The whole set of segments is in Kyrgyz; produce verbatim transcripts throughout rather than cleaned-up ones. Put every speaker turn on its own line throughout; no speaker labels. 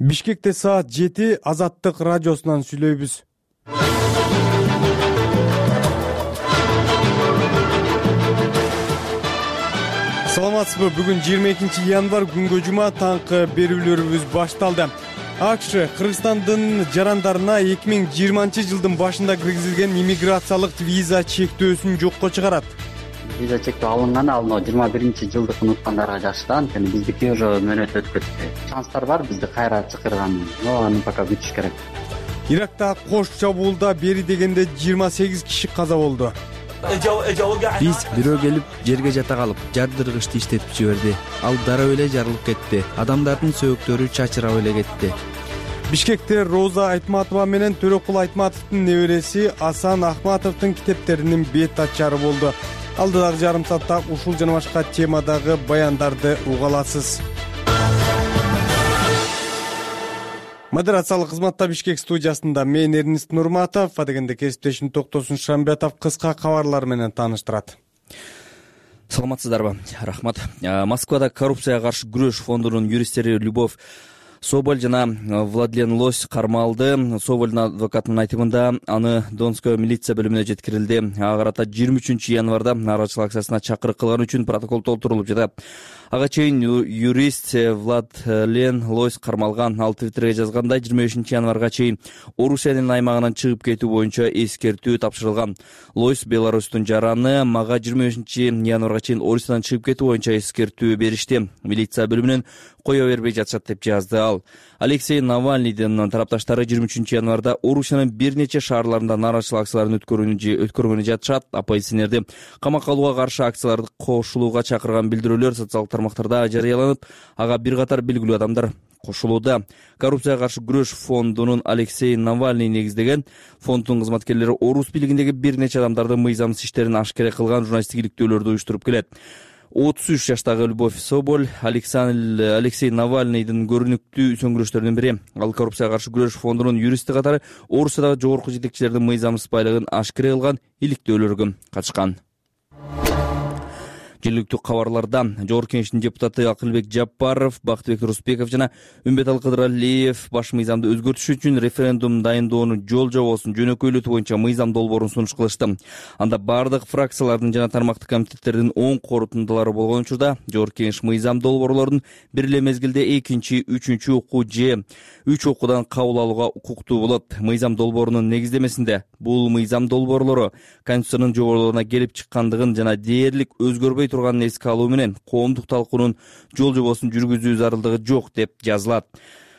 Бишкекте саат жети Азаттык радиосунан сүйлөйбүз. Саламатсызбы? Бүгүн жыйырма экинчи январь күнгө жума таңкы берүүлөрүбүз башталды. АКШ Кыргызстандын жарандарына эки миң жыйырманчы жылдын башында киргизилген иммиграциялык виза чектөөсүн жокко чыгарат.
Виза чектөө алынган ал жыйырма биринчи жылдык унуткандарга жакшы да, анткени биздики уже мөөнөт өтүп кетти. Шанстар бар бизди кайра чакырган, но аны пока күтүш керек.
Иракта кош чабуулда бери дегенде жыйырма сегиз киши каза болду.
Биз бирөө келип жерге жата калып, жардыргычты иштетип жиберди. Ал дароо эле жарылып кетти. Адамдардын сөөктөрү чачырап эле кетти.
Бишкекте Роза Айтматова менен Төрөкул Айтматовдун небереси Асан Ахматовдун китептеринин бет ачары болду. Алдыдагы жарым саатта ушул жана башка темадагы баяндарды уга аласыз. Модерациялык кызматта Бишкек студиясында мен Эрнист Нурматов, адегенде кесиптешим Токтосун Шамбетов кыска кабарлар менен тааныштырат.
Саламатсыздарбы? Рахмат. Москвада коррупцияга каршы күрөш фондунун юристтери Любовь Соболь жана Владлен Лось кармалды. Собольдун адвокатынын айтымында аны Донская милиция бөлүмүнө жеткирилди. Ага карата жыйырма үчүнчү январда нааразычылык акциясына чакырык кылган үчүн протокол толтурулуп жатат. Ага чейин юрист Владлен Лось кармалган. Ал Твиттерге жазгандай, жыйырма бешинчи январга чейин Орусиянын аймагынан чыгып кетүү боюнча эскертүү тапшырылган. Лось Беларустун жараны, мага жыйырма бешинчи январга чейин Орусиядан чыгып кетүү боюнча эскертүү беришти. Милиция бөлүмүнөн кое бербей жатышат деп жазды ал. Алексей Навальныйдын тарапташтары жыйырма үчүнчү январда Орусиянын бир нече шаарларында нааразычылык акцияларын өткөргөнү жатышат. Оппозиционерди камакка алууга каршы акцияларды кошулууга чакырган билдирүүлөр социалдык тармактарда жарыяланып, ага бир катар белгилүү адамдар кошулууда. Коррупцияга каршы күрөш фондунун Алексей Навальный негиздеген фонддун кызматкерлери Орус бийлигиндеги бир нече адамдардын мыйзамсыз иштерин ашкере кылган журналисттик иликтөөлөрдү уюштуруп келет. отуз үч жаштагы Любовь Соболь Алексей Навальныйдын көрүнүктүү сөңгүрөштөрүнүн бири. Ал коррупцияга каршы күрөш фондунун юристи катары Орусиядагы жогорку жетекчилердин мыйзамсыз байлыгын ашкере кылган иликтөөлөргө катышкан. Жергиликтүү кабарларда Жогорку Кеңештин депутаты Акылбек Жапаров, Бактыбек Рустбеков жана Үмбетал Кыдыралиев баш мыйзамды өзгөртүш үчүн референдум дайындоону жол жобосун жөнөкөйлөтүү боюнча мыйзам долбоорун сунуш кылышты. Анда бардык фракциялардын жана тармактык комитеттердин оң корутундалары болгон учурда Жогорку Кеңеш мыйзам долбоорлорун бир эле мезгилде экинчи, үчүнчү окуу же үч окуудан кабыл алууга укуктуу болот. Мыйзам долбоорунун негиздемесинде бул мыйзам долбоорлору Конституциянын жоболоруна келип чыккандыгын жана дээрлик өзгөрбөй турганын эске алуу менен коомдук талкуунун жол жобосун жүргүзүү зарылдыгы жок деп жазылат.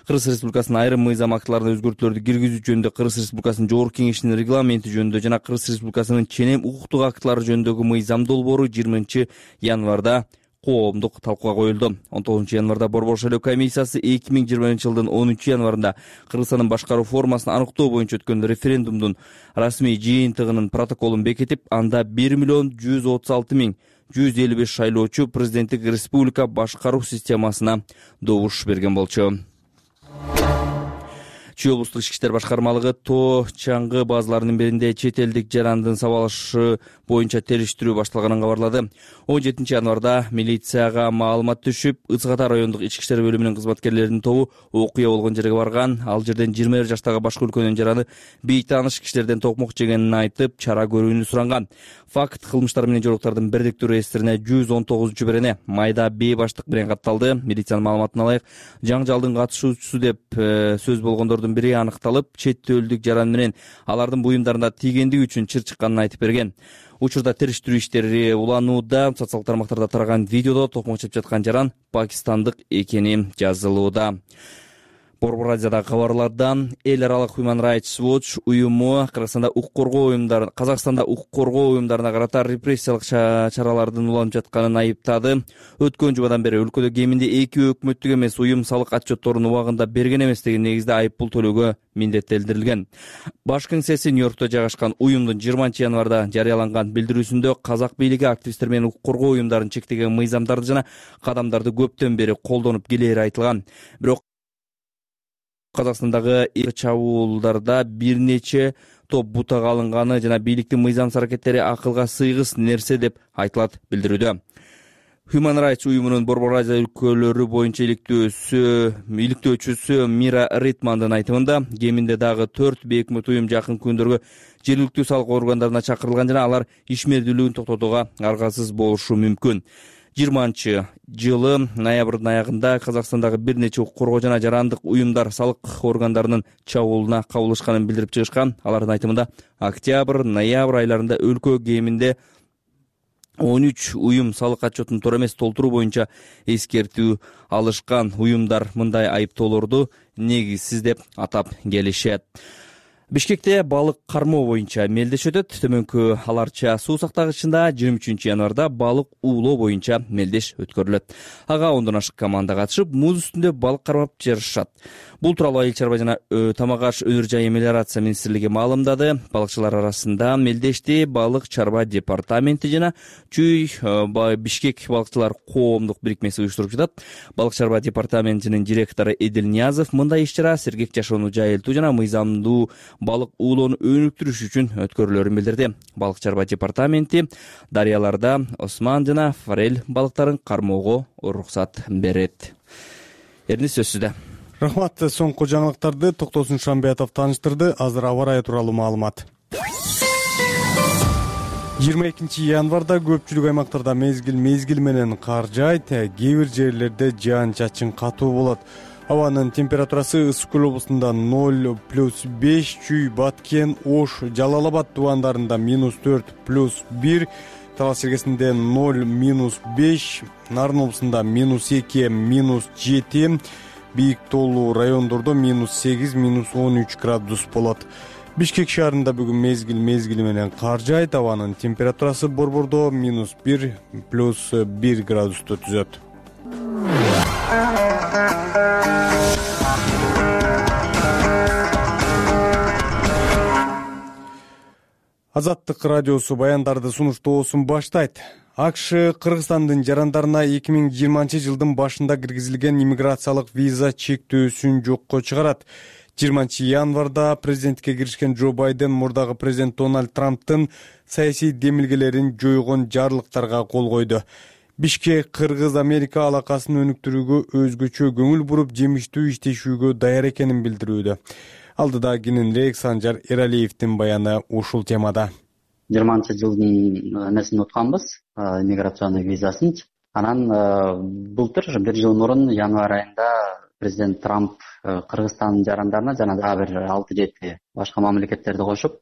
Кыргыз Республикасынын айрым мыйзам актыларына өзгөртүүлөрдү киргизүү жөнүндө Кыргыз Республикасынын Жогорку Кеңешинин регламенти жөнүндө жана Кыргыз Республикасынын ченем укуктук актылары жөнүндөгү мыйзам долбоору жыйырманчы январда коомдук талкууга коюлду. он тогузунчу январда Борбор шайлоо комиссиясы эки миң жыйырманчы жылдын онунчу январында Кыргызстандын башкаруу формасын аныктоо боюнча өткөн референдумдун расмий жыйынтыгынын протоколун бекитип, анда бир миллион жүз отуз алты миң жүз элүү беш шайлоочу президенттик республика башкаруу системасына добуш берген болчу. Чүй облустук ички иштер башкармалыгы тоо чаңгы базаларынын биринде чет элдик жарандын сабалышы боюнча териштирүү башталганын кабарлады. он жетинчи январда милицияга маалымат түшүп, Ысык Ата райондук ички иштер бөлүмүнүн кызматкерлеринин тобу окуя болгон жерге барган. Ал жерден жыйырма бир жаштагы башка өлкөнүн жараны бейтааныш кишилерден токмок жегенин айтып, чара көрүүнү суранган. Факт кылмыштар менен жоолуктардын бирдиктүү реестрине жүз он тогузунчу берене майда бей баштык менен катталды. Милициянын маалыматына ылайык, жаңжалдын катышуучусу деп сөз болгондордун бири аныкталып, чет элдик жаран менен алардын буюмдарына тийгендиги үчүн чыр чыкканын айтып берген. Учурда териштирүү иштери уланууда. Социалдык тармактарда тараган видеодо токмок жеп жаткан жаран пакистандык экени жазылууда. Борбор радиодагы кабарлардан эл аралык Human Rights Watch уюму Кыргызстанда укук коргоо уюмдары Казакстанда укук коргоо уюмдарына карата репрессиялык чаралардын уланып жатканын айыптады. Өткөн жумадан бери өлкөдө кеминде эки өкмөттүк эмес уюм салык отчетторун убагында берген эмес деген негизде айып пул төлөөгө миндеттелдирилген. Баш кеңсеси Нью-Йоркто жайгашкан уюмдун жыйырманчы январда жарыяланган билдирүүсүндө казак бийлиги активисттер менен укук коргоо уюмдарын чектеген мыйзамдарды жана кадамдарды көптөн бери колдонуп келери айтылган. Бирок Казакстандагы чабуулдарда бир нече топ бутага алынганы жана бийликтин мыйзамсыз аракеттери акылга сыйгыс нерсе деп айтылат билдирүүдө. Human Rights уюмунун Борбор Азия өлкөлөрү боюнча иликтөөчүсү иликтөөчүсү Мира Ритмандын айтымында кеминде дагы төрт бейөкмөт уюм жакын күндөргө жергиликтүү салык органдарына чакырылган жана алар ишмердүүлүгүн токтотууга аргасыз болушу мүмкүн. жыйырманчы жылы ноябрдын аягында Казакстандагы бир нече укук коргоо жана жарандык уюмдар салык органдарынын чабуулуна кабылышканын билдирип чыгышкан. Алардын айтымында октябрь, ноябрь айларында өлкө кеминде он үч уюм салык отчетун туура эмес толтуруу боюнча эскертүү алышкан. Уюмдар мындай айыптоолорду негизсиз деп атап келишет. Бишкекте балык кармоо боюнча мелдеш өтөт. Төмөнкү Аларча суу сактагычында жыйырма үчүнчү январда балык уулоо боюнча мелдеш өткөрүлөт. Ага ондон ашык команда катышып, муз үстүндө балык кармап жарышат. Бул тууралуу Айыл чарба жана Тамак аш өнөр жайы мелиорация министрлиги маалымдады. Балыкчылар арасында мелдешти балык чарба департаменти жана Чүй Бишкек балыкчылар коомдук бирикмеси уюштуруп жатат. Балык чарба департаментинин директору Эдил Ниязов мындай иш-чара сергек жашоону жайылтуу жана мыйзамдуу балык уулоону өнүктүрүш үчүн өткөрүлөрүн билдирди. Балык чарба департаменти дарыяларда осман жана форель балыктарын кармоого уруксат берет. Эрнис сөзсүздө.
Рахмат. Соңку жаңылыктарды Токтосун Шамбиятов тааныштырды. Азыр аба ырайы тууралуу маалымат. жыйырма экинчи январда көпчүлүк аймактарда мезгил мезгил менен кар жаайт, кээ бир жерлерде жаан-чачын катуу болот. Абанын температурасы Ысык Көл облусунда ноль плюс беш, Чүй, Баткен, Ош, Жалал Абад тубандарында минус төрт плюс бир, Талас чергесинде ноль минус беш, Нарын облусунда минус эки минус жети, Бийик тоолуу райондордо минус сегиз минус он үч градус болот. Бишкек шаарында бүгүн мезгил мезгили менен кар жаайт. Абанын температурасы борбордо минус бир плюс бир градусту түзөт. Азаттык радиосу баяндарды сунуштоосун баштайт. АКШ Кыргызстандын жарандарына эки миң жыйырманчы жылдын башында киргизилген иммиграциялык виза чектөөсүн жокко чыгарат. жыйырманчы январда президенттикке киришкен Джо Байден мурдагы президент Дональд Трамптын саясий демилгелерин жойгон жарлыктарга кол койду. Бишкек Кыргыз-Америка алакасын өнүктүрүүгө өзгөчө көңүл буруп, жемиштүү иштешүүгө даяр экенин билдирүүдө. Алдыда кененирээк Санжар Эралиевдин баяны ушул темада.
жыйырманчы жылдын эмесин утканбыз, иммиграционный визасынчы. Анан былтыр бир жыл мурун январь айында президент Трамп Кыргызстандын жарандарына жана дагы бир алты жети башка мамлекеттерди кошуп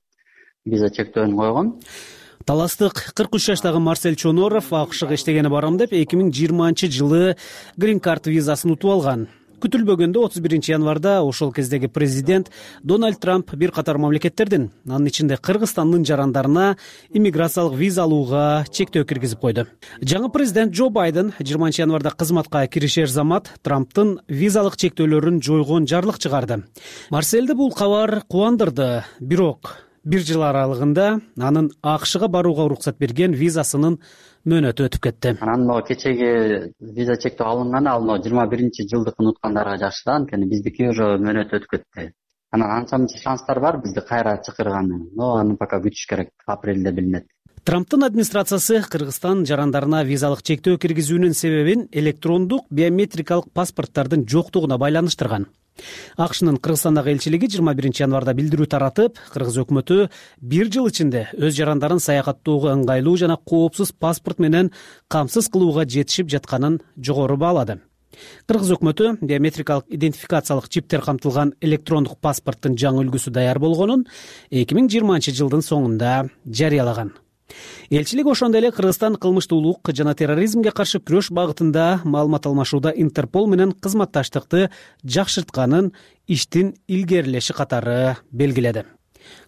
виза чектөөнү койгон.
Таластык кырк үч жаштагы Марсель Чоноров АКШга иштегени барам деп эки миң жыйырманчы жылы Green Card визасын утуп алган. Күтүлбөгөндө отуз биринчи январда ошол кездеги президент Дональд Трамп бир катар мамлекеттердин, анын ичинде Кыргызстандын жарандарына иммиграциялык виза алууга чектөө киргизип койду. Жаңы президент Джо Байден жыйырманчы январда кызматка киришер замат Трамптын визалык чектөөлөрүн жойгон жарлык чыгарды. Марсельди бул кабар кубандырды, бирок бир жыл аралыгында анын АКШга барууга уруксат берген визасынын мөөнөтү өтүп кетти.
Анан могу кечеги виза чектөө алынган, ал могу жыйырма биринчи жылдыкын уткандарга жакшы да, анткени биздики уже мөөнөтү өтүп кетти. Анан анча мынча шанстар бар бизди кайра чакырганы, но аны пока күтүш керек, апрелде билинет.
Трамптын администрациясы Кыргызстан жарандарына визалык чектөө киргизүүнүн себебин электрондук биометрикалык паспорттардын жоктугуна байланыштырган. АКШнын Кыргызстандагы элчилиги жыйырма биринчи январда билдирүү таратып, Кыргыз өкмөтү бир жыл ичинде өз жарандарын саякаттоого ыңгайлуу жана коопсуз паспорт менен камсыз кылууга жетишип жатканын жогору баалады. Кыргыз өкмөтү биометрикалык идентификациялык чиптер камтылган электрондук паспорттун жаңы үлгүсү даяр болгонун эки миң жыйырманчы жылдын соңунда жарыялаган. Элчилик ошондой эле Кыргызстан кылмыштуулук жана терроризмге каршы күрөш багытында маалымат алмашууда Интерпол менен кызматташтыкты жакшыртканын иштин илгерилеши катары белгиледи.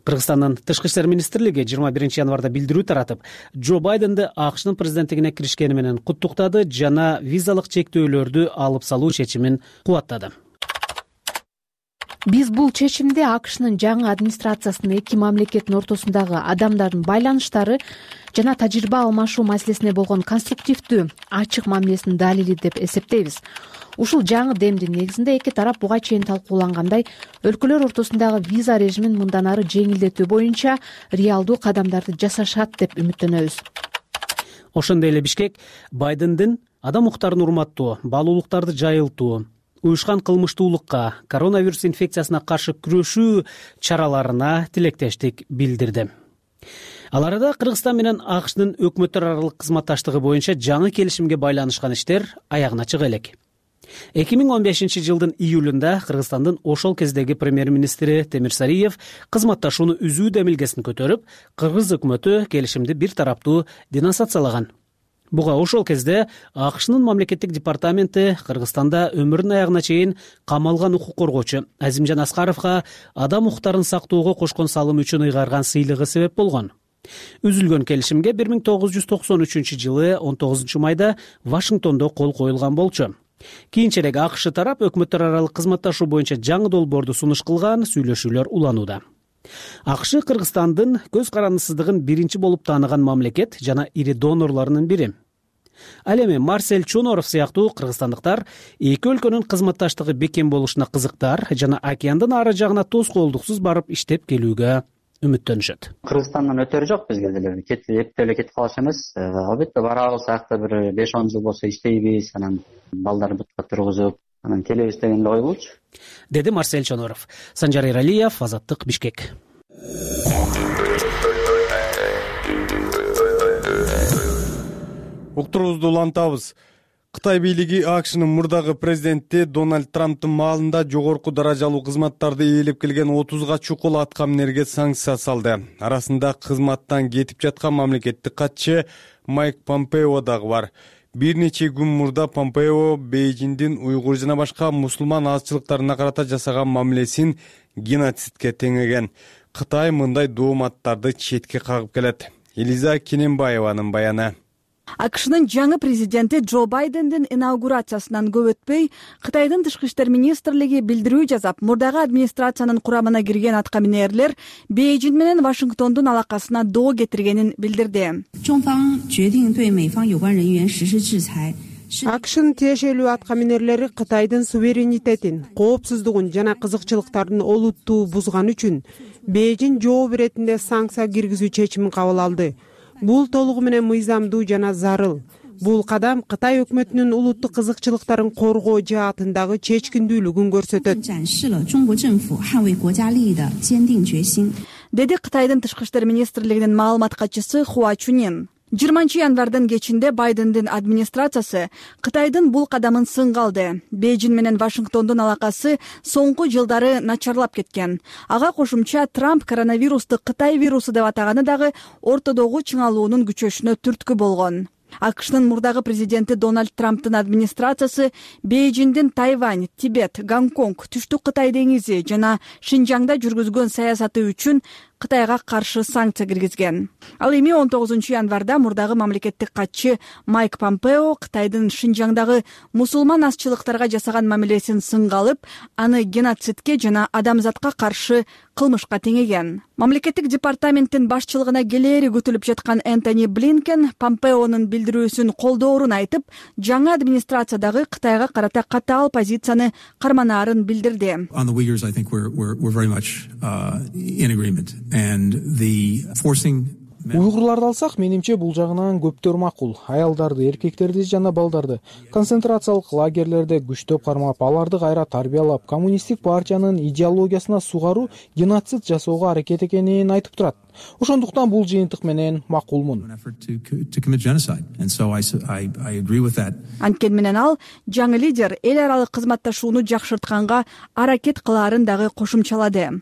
Кыргызстандын тышкы иштер министрлиги жыйырма биринчи январда билдирүү таратып, Джо Байденди АКШнын президенттигине киришкени менен куттуктады жана визалык чектөөлөрдү алып салуу чечимин кубаттады.
Биз бул чечимди АКШнын жаңы администрациясынын эки мамлекеттин ортосундагы адамдардын байланыштары жана тажрыйба алмашуу маселесине болгон конструктивдүү, ачык мамилесинин далили деп эсептейбиз. Ушул жаңы демдин негизинде эки тарап буга чейин талкуулангандай өлкөлөр ортосундагы виза режимин мындан ары жеңилдетүү боюнча реалдуу кадамдарды жасашат деп үмүттөнөбүз.
Ошондой эле Бишкек Байдендин адам укуктарын урматтоо, баалуулуктарды жайылтуу, уюшкан кылмыштуулукка, коронавирус инфекциясына каршы күрөшүү чараларына тилектештик билдирди. Ал арада Кыргызстан менен АКШнын өкмөттөр аралык кызматташтыгы боюнча жаңы келишимге байланышкан иштер аягына чыга элек. эки миң он бешинчи жылдын июлунда Кыргызстандын ошол кездеги премьер-министри Темир Сариев кызматташууну үзүү демилгесин көтөрүп, кыргыз өкмөтү келишимди бир тараптуу денонсациялаган. Буга ошол кезде АКШнын мамлекеттик департаменти Кыргызстанда өмүрүнүн аягына чейин камалган укук коргоочу Азимжан Аскаровго адам укуктарын сактоого кошкон салымы үчүн ыйгарган сыйлыгы себеп болгон. Үзүлгөн келишимге бир миң тогуз жүз токсон үчүнчү жылы он тогузунчу майда Вашингтондо кол коюлган болчу. Кийинчерээк АКШ тарап өкмөттөр аралык кызматташуу боюнча жаңы долбоорду сунуш кылган, сүйлөшүүлөр уланууда. АКШ Кыргызстандын көз карандысыздыгын биринчи болуп тааныган мамлекет жана ири донорлорунун бири. Ал эми Марсель Чоноров сыяктуу кыргызстандыктар эки өлкөнүн кызматташтыгы бекем болушуна кызыктар жана океандын ары жагына тоскоолдуксуз барып иштеп келүүгө үмүттөнүшөт.
Кыргызстандан өтөрү жок бизге деле. Кетип эле кетип калыш эмес. Албетте барабыз, аякта бир беш он жыл болсо иштейбиз, анан балдар бутка тургузуп, анан келебиз деген ой болчу.
Деди Марсель Чоноров. Санжар Эралиев, Азаттык, Бишкек.
Уктуруубузду улантабыз. Кытай бийлиги АКШнын мурдагы президенти Дональд Трамптын маалында жогорку даражалуу кызматтарды ээлеп келген отузга чукул аткаминерге санкция салды. Арасында кызматтан кетип жаткан мамлекеттик катчы Майк Помпео дагы бар. Бир нече күн мурда Помпео Бейжиңдин уйгур жана башка мусулман азчылыктарына карата жасаган мамилесин геноцидке теңеген. Кытай мындай дооматтарды четке кагып келет. Элиза Кененбаеванын баяны.
АКШнын жаңы президенти Джо Байдендин инаугурациясынан көп өтпөй, Кытайдын тышкы иштер министрлиги билдирүү жасап, мурдагы администрациянын курамына кирген аткаминерлер Бейжиң менен Вашингтондун алакасына доо кетиргенин билдирди.
АКШнын тиешелүү аткаминерлери Кытайдын суверенитетин, коопсуздугун жана кызыкчылыктарын олуттуу бузган үчүн Бейжиң жооп иретинде санкция киргизүү чечимин кабыл алды. Бул толугу менен мыйзамдуу жана зарыл. Бул кадам Кытай өкмөтүнүн улуттук кызыкчылыктарын коргоо жаатындагы чечкиндүүлүгүн көрсөтөт,
деди Кытайдын тышкы иштер министрлигинин маалымат катчысы Хуа Чунин. жыйырманчы январдын кечинде Байдендин администрациясы Кытайдын бул кадамын сынга алды. Бейжиң менен Вашингтондун алакасы соңку жылдары начарлап кеткен. Ага кошумча Трамп коронавирусту Кытай вирусу деп атаганы дагы ортодогу чыңалуунун күчөшүнө түрткү болгон. АКШнын мурдагы президенти Дональд Трамптын администрациясы Бейжиңдин Тайвань, Тибет, Гонконг, Түштүк Кытай деңизи жана Шинжаңда жүргүзгөн саясаты үчүн Кытайга каршы санкция киргизген. Ал эми он тогузунчу январда мурдагы мамлекеттик катчы Майк Помпео Кытайдын Шинжаңдагы мусулман азчылыктарга жасаган мамилесин сынга алып, аны геноцидке жана адамзатка каршы кылмышка теңеген. Мамлекеттик департаменттин башчылыгына келери күтүлүп жаткан Энтони Блинкен Помпеонун билдирүүсүн колдоорун айтып, жаңы администрациядагы Кытайга карата катаал позицияны карманаарын билдирди.
Уйгурларды алсак, менимче бул жагынан көптөр макул. Аялдарды, эркектерди жана балдарды концентрациялык лагерлерде күчтөп кармап, аларды кайра тарбиялап, коммунисттик партиянын идеологиясына сугаруу, геноцид жасоого аракет экенин айтып турат. Ошондуктан бул жыйынтык менен макулмун.
Анткени менен ал жаңы лидер эл аралык кызматташууну жакшыртканга аракет кылаарын дагы кошумчалады.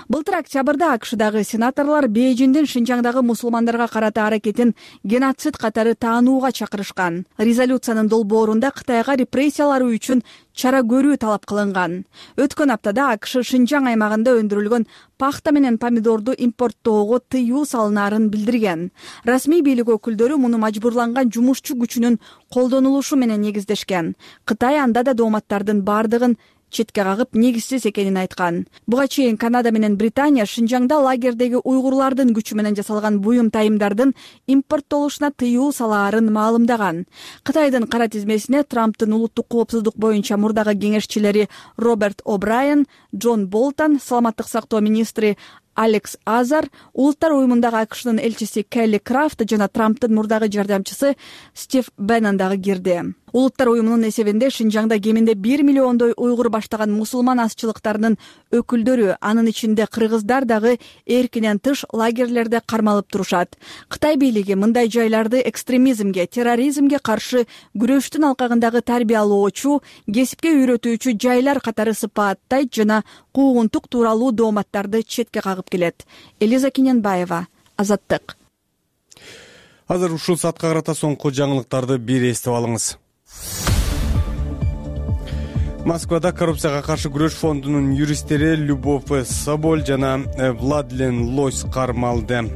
Былтыр октябрда АКШдагы сенаторлор Бейжиңдин Шинжаңдагы мусулмандарга карата аракетин геноцид катары таанууга чакырышкан. Резолюциянын долбоорунда Кытайга репрессиялары үчүн чара көрүү талап кылынган. Өткөн аптада АКШ Шинжаң аймагында өндүрүлгөн пахта менен помидорду импорттоого тыюу салынаарын билдирген. Расмий бийлик өкүлдөрү муну мажбурланган жумушчу күчүнүн колдонулушу менен негиздешкен. Кытай анда да дооматтардын бардыгын четке кагып негизсиз экенин айткан. Буга чейин Канада менен Британия Шинжаңда лагердеги уйгурлардын күчү менен жасалган буюм тайымдардын импорттолушуна тыюу салаарын маалымдаган. Кытайдын кара тизмесине Трамптын улуттук коопсуздук боюнча мурдагы кеңешчилери Роберт О'Брайен, Джон Болтон, саламаттык сактоо министри Алекс Азар, улуттар уюмундагы АКШнын элчиси Келли Крафт жана Трамптын мурдагы жардамчысы Стив Беннон дагы кирди. Улуттар уюмунун эсебинде Шинжаңда кеминде бир миллиондой уйгур баштаган мусулман азчылыктарынын өкүлдөрү, анын ичинде кыргыздар дагы эркинен тыш лагерлерде кармалып турушат. Кытай бийлиги мындай жайларды экстремизмге, терроризмге каршы күрөштүн алкагындагы тарбиялоочу, кесипке үйрөтүүчү жайлар катары сыпааттайт жана куугунтук тууралуу дооматтарды четке кагып келет. Элиза Киненбаева, Азаттык.
Азыр ушул саатка карата соңку жаңылыктарды бир эстеп алыңыз. Москвада коррупцияга каршы күрөш фондунун юристтери Любовь Соболь жана Владлен Лось кармалды.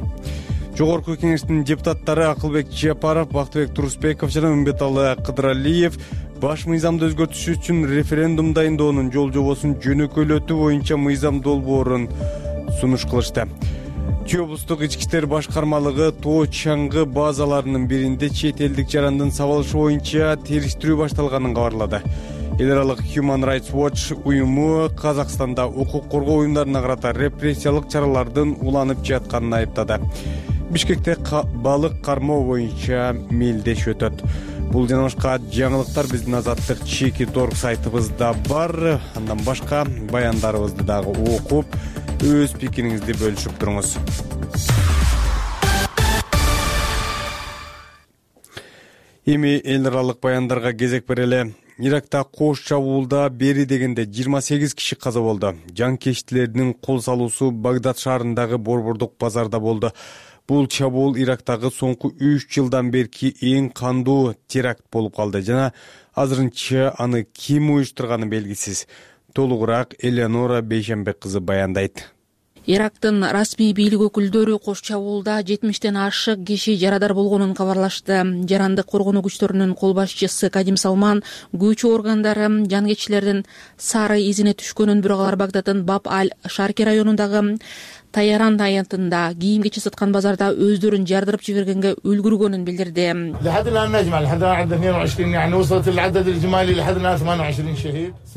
Жогорку кеңештин депутаттары Акылбек Жапаров, Бактыбек Турусбеков жана Үмбеталы Кыдыралиев баш мыйзамды өзгөртүш үчүн референдум дайындоонун жол жобосун жөнөкөйлөтүү боюнча мыйзам долбоорун сунуш кылышты. Чүй облустук ички иштер башкармалыгы тоо чаңгы базаларынын биринде чет элдик жарандын сабалышы боюнча териштирүү башталганын кабарлады. Эл аралык Human Rights Watch уюму Казакстанда укук коргоо уюмдарына карата репрессиялык чаралардын уланып жатканын айыптады. Бишкекте балык кармоо боюнча мелдеш өтөт. Бул жана башка жаңылыктар биздин Азаттык чеки торг сайтыбызда бар. Андан башка баяндарыбызды дагы окуп, өз пикириңизди бөлүшүп туруңуз. Эми эл аралык баяндарга кезек берели. Иракта кош чабуулда бери дегенде жыйырма сегиз киши каза болду. Жанкечтилердин кол салуусу Багдад шаарындагы борбордук базарда болду. Бул чабуул Ирактагы соңку үч жылдан берки эң кандуу теракт болуп калды жана азырынча аны ким уюштурганы белгисиз. Толугураак Элеонора Бейшембек кызы баяндайт.
Ирактын расмий бийлик өкүлдөрү кош чабуулда жетимиштен ашык киши жарадар болгонун кабарлашты. Жарандык коргонуу күчтөрүнүн кол башчысы Кадим Салман күч органдары жангеччилердин сары изине түшкөнүн, бирок алар Багдаддын Баб аль-Шарки районундагы Таяран аянтында кийим кечи саткан базарда өздөрүн жардырып жибергенге үлгүргөнүн билдирди.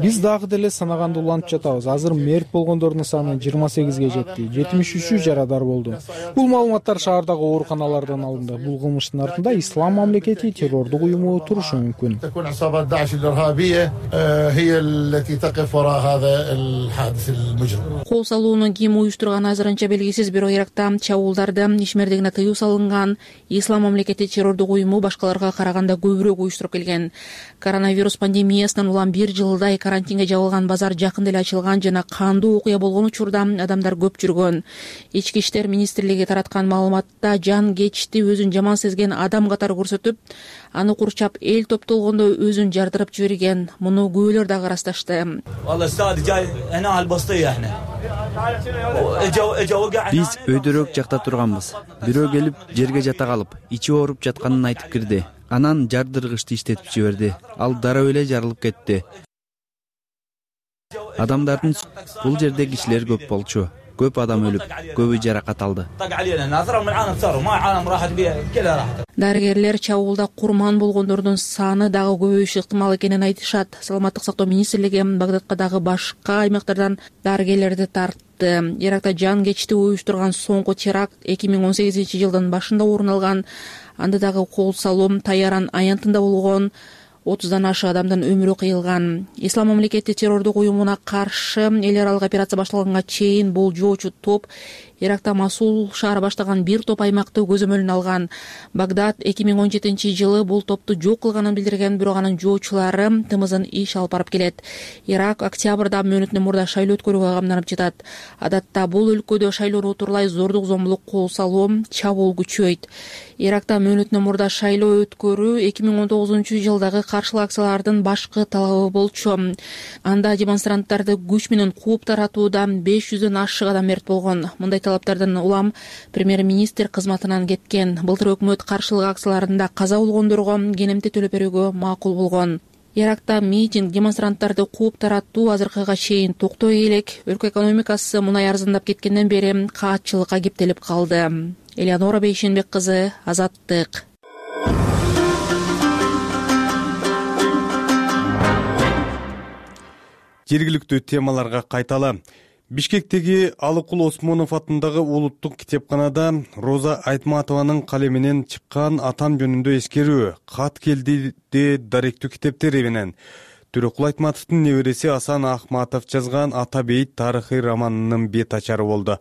Биз дагы деле санаганды улантып жатабыз. Азыр мерт болгондордун саны жыйырма сегизге жетти. жетимиш үчү жарадар болду. Бул маалыматтар шаардагы ооруканалардан алынды. Бул кылмыштын артында Ислам мамлекети террордук уюму турушу мүмкүн.
Кол салууну ким уюштурганы азырынча белгисиз, бирок Иракта чабуулдарды ишмердигине тыюу салынган. Ислам мамлекети террордук уюму башкаларга караганда көбүрөөк уюштуруп келген. Коронавирус пандемиясынан улам бир жылдай карантинге жабылган базар жакында эле ачылган жана кандуу окуя болгон учурда адамдар көп жүргөн. Ички иштер министрлиги тараткан маалыматта жан кечти өзүн жаман сезген адам катары көрсөтүп, аны курчап эл топтолгондо өзүн жардырып жиберген. Муну күбөлөр дагы ырасташты.
Биз өйдөрөөк жакта турганбыз. Бирөө келип жерге жата калып, ичи ооруп жатканын айтып кирди. Анан жардыргычты иштетип жиберди. Ал дароо эле жарылып кетти. Адамдардын бул жерде кишилер көп болчу. Көп адам өлүп, көбү жаракат алды.
Дарыгерлер чабуулда курман болгондордун саны дагы көбөйүшү ыктымал экенин айтышат. Саламаттык сактоо министрлиги Багдадка дагы башка аймактардан дарыгерлерди тартты. Иракта жан кечти уюштурган соңку теракт эки миң он сегизинчи жылдын башында орун алган. Анда дагы кол салуу Таяран аянтында болгон. отуздан ашык адамдын өмүрү кыйылган. Ислам мамлекети террордук уюмуна каршы эл аралык операция башталганга чейин бул жоочу топ Иракта Масул шаары баштаган бир топ аймакты көзөмөлүнө алган. Багдад эки миң он жетинчи жылы бул топту жок кылганын билдирген, бирок анын жоочулары тымызын иш алып барып келет. Ирак октябрда мөөнөтүнөн мурда шайлоо өткөрүүгө камданып жатат. Адатта бул өлкөдө шайлоону утурлай зордук зомбулук, кол салуу, чабуул күчөйт. Иракта мөөнөтүнөн мурда шайлоо өткөрүү эки миң он тогузунчу жылдагы каршылык акциялардын башкы талабы болчу. Анда демонстранттарды күч менен кууп таратууда беш жүздөн ашык адам мерт болгон. Мындай талаптардан улам премьер-министр кызматынан кеткен. Былтыр өкмөт каршылык акцияларында каза болгондорго кенемти төлөп берүүгө макул болгон. Иракта митинг, демонстранттарды кууп таратуу азыркыга чейин токтой элек. Өлкө экономикасы мунай арзандап кеткенден бери каатчылыкка кептелип калды. Элеонора Бейшенбек кызы, Азаттык.
Жергиликтүү темаларга кайталы. Бишкектеги Алыкул Осмонов атындагы улуттук китепканада Роза Айтматованын калеминен чыккан атам жөнүндө эскерүү, кат келди де даректүү китептери менен Төрөкул Айтматовдун небереси Асан Ахматов жазган Ата бейит тарыхый романынын бет ачары болду.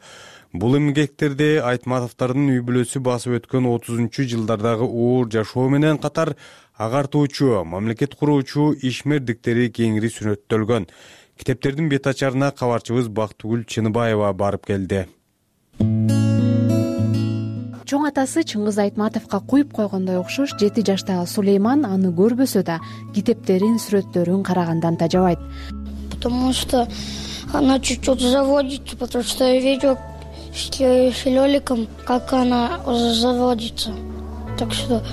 Бул эмгектерде Айтматовдордун үй бүлөсү басып өткөн отузунчу жылдардагы оор жашоо менен катар агартуучу, мамлекет куруучу ишмердиктери кеңири сүрөттөлгөн. Китептердин бет ачарына кабарчыбыз Бактыгүл Чыныбаева барып келди.
Чоң атасы Чыңгыз Айтматовго куюп койгондой окшош жети жаштагы Сулейман аны көрбөсө да китептерин, сүрөттөрүн карагандан тажабайт.
Потому что она чуть-чуть заводится, потому что я видел с лёликом, как она уже заводится. Так что,